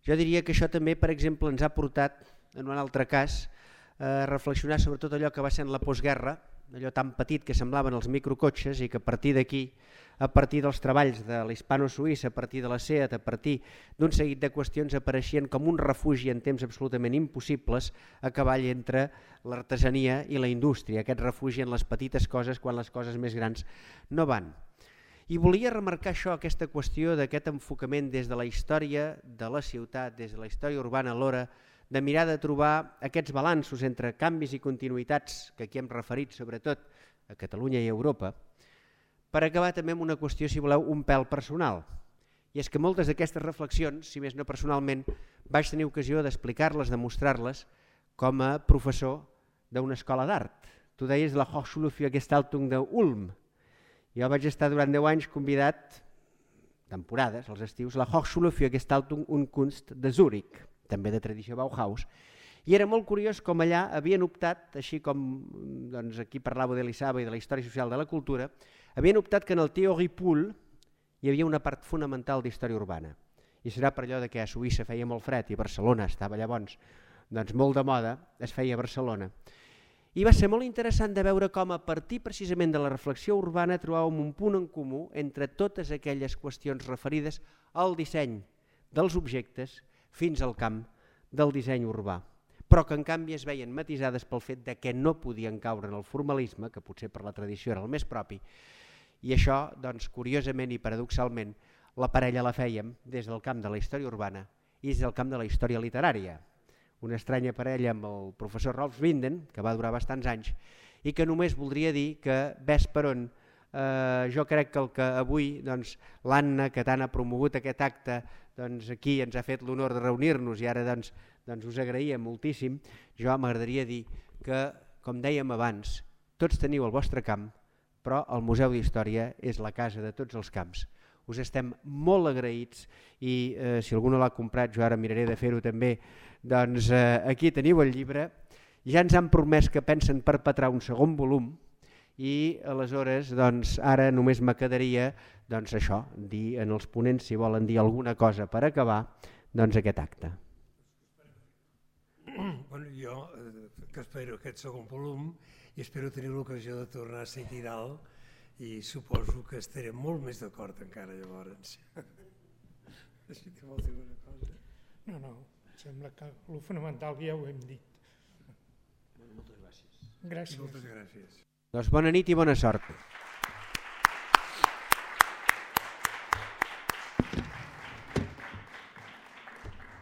A: jo diria que això també, per exemple, ens ha portat, en un altre cas, a reflexionar sobre tot allò que va ser en la postguerra, allò tan petit que semblaven els microcotxes i que a partir d'aquí, a partir dels treballs de l'hispano-suïssa, a partir de la SEAT, a partir d'un seguit de qüestions apareixien com un refugi en temps absolutament impossibles a cavall entre l'artesania i la indústria, aquest refugi en les petites coses quan les coses més grans no van. I volia remarcar això, aquesta qüestió d'aquest enfocament des de la història de la ciutat, des de la història urbana a l'hora de mirar de trobar aquests balanços entre canvis i continuïtats, que aquí hem referit sobretot a Catalunya i a Europa, per acabar també amb una qüestió, si voleu, un pèl personal. I és que moltes d'aquestes reflexions, si més no personalment, vaig tenir ocasió d'explicar-les, de mostrar-les com a professor d'una escola d'art. Tu deies la Hochschule für Gestaltung d'Ulm. Jo vaig estar durant deu anys convidat, temporades, als estius, la Hochschule für Gestaltung und Kunst de Zúrich, també de tradició Bauhaus, i era molt curiós com allà havien optat, així com doncs, aquí parlava d'Elisava i de la història social de la cultura, havien optat que en el Theorie Pool hi havia una part fonamental d'història urbana. I serà per allò de que a Suïssa feia molt fred i Barcelona estava llavors doncs, molt de moda, es feia a Barcelona. I va ser molt interessant de veure com a partir precisament de la reflexió urbana trobàvem un punt en comú entre totes aquelles qüestions referides al disseny dels objectes fins al camp del disseny urbà, però que en canvi es veien matisades pel fet de que no podien caure en el formalisme, que potser per la tradició era el més propi, i això, doncs, curiosament i paradoxalment, la parella la fèiem des del camp de la història urbana i des del camp de la història literària. Una estranya parella amb el professor Rolf Winden, que va durar bastants anys, i que només voldria dir que, ves per on, eh, jo crec que el que avui doncs, l'Anna, que tant ha promogut aquest acte, doncs, aquí ens ha fet l'honor de reunir-nos i ara doncs, doncs, us agraïa moltíssim, jo m'agradaria dir que, com dèiem abans, tots teniu el vostre camp, però el Museu d'Història és la casa de tots els camps. Us estem molt agraïts i eh, si algú no l'ha comprat, jo ara miraré de fer-ho també, doncs eh, aquí teniu el llibre, ja ens han promès que pensen perpetrar un segon volum i aleshores doncs, ara només me quedaria doncs, això, dir en els ponents si volen dir alguna cosa per acabar doncs, aquest acte.
B: Bueno, jo eh, que espero aquest segon volum i espero tenir l'ocasió de tornar a ser aquí dalt i suposo que estarem molt més d'acord encara llavors. Si que vols dir una cosa.
C: No, no, sembla que el fonamental ja ho hem dit.
D: Moltes gràcies.
C: Gràcies.
B: Moltes gràcies.
A: Doncs bona nit i bona sort.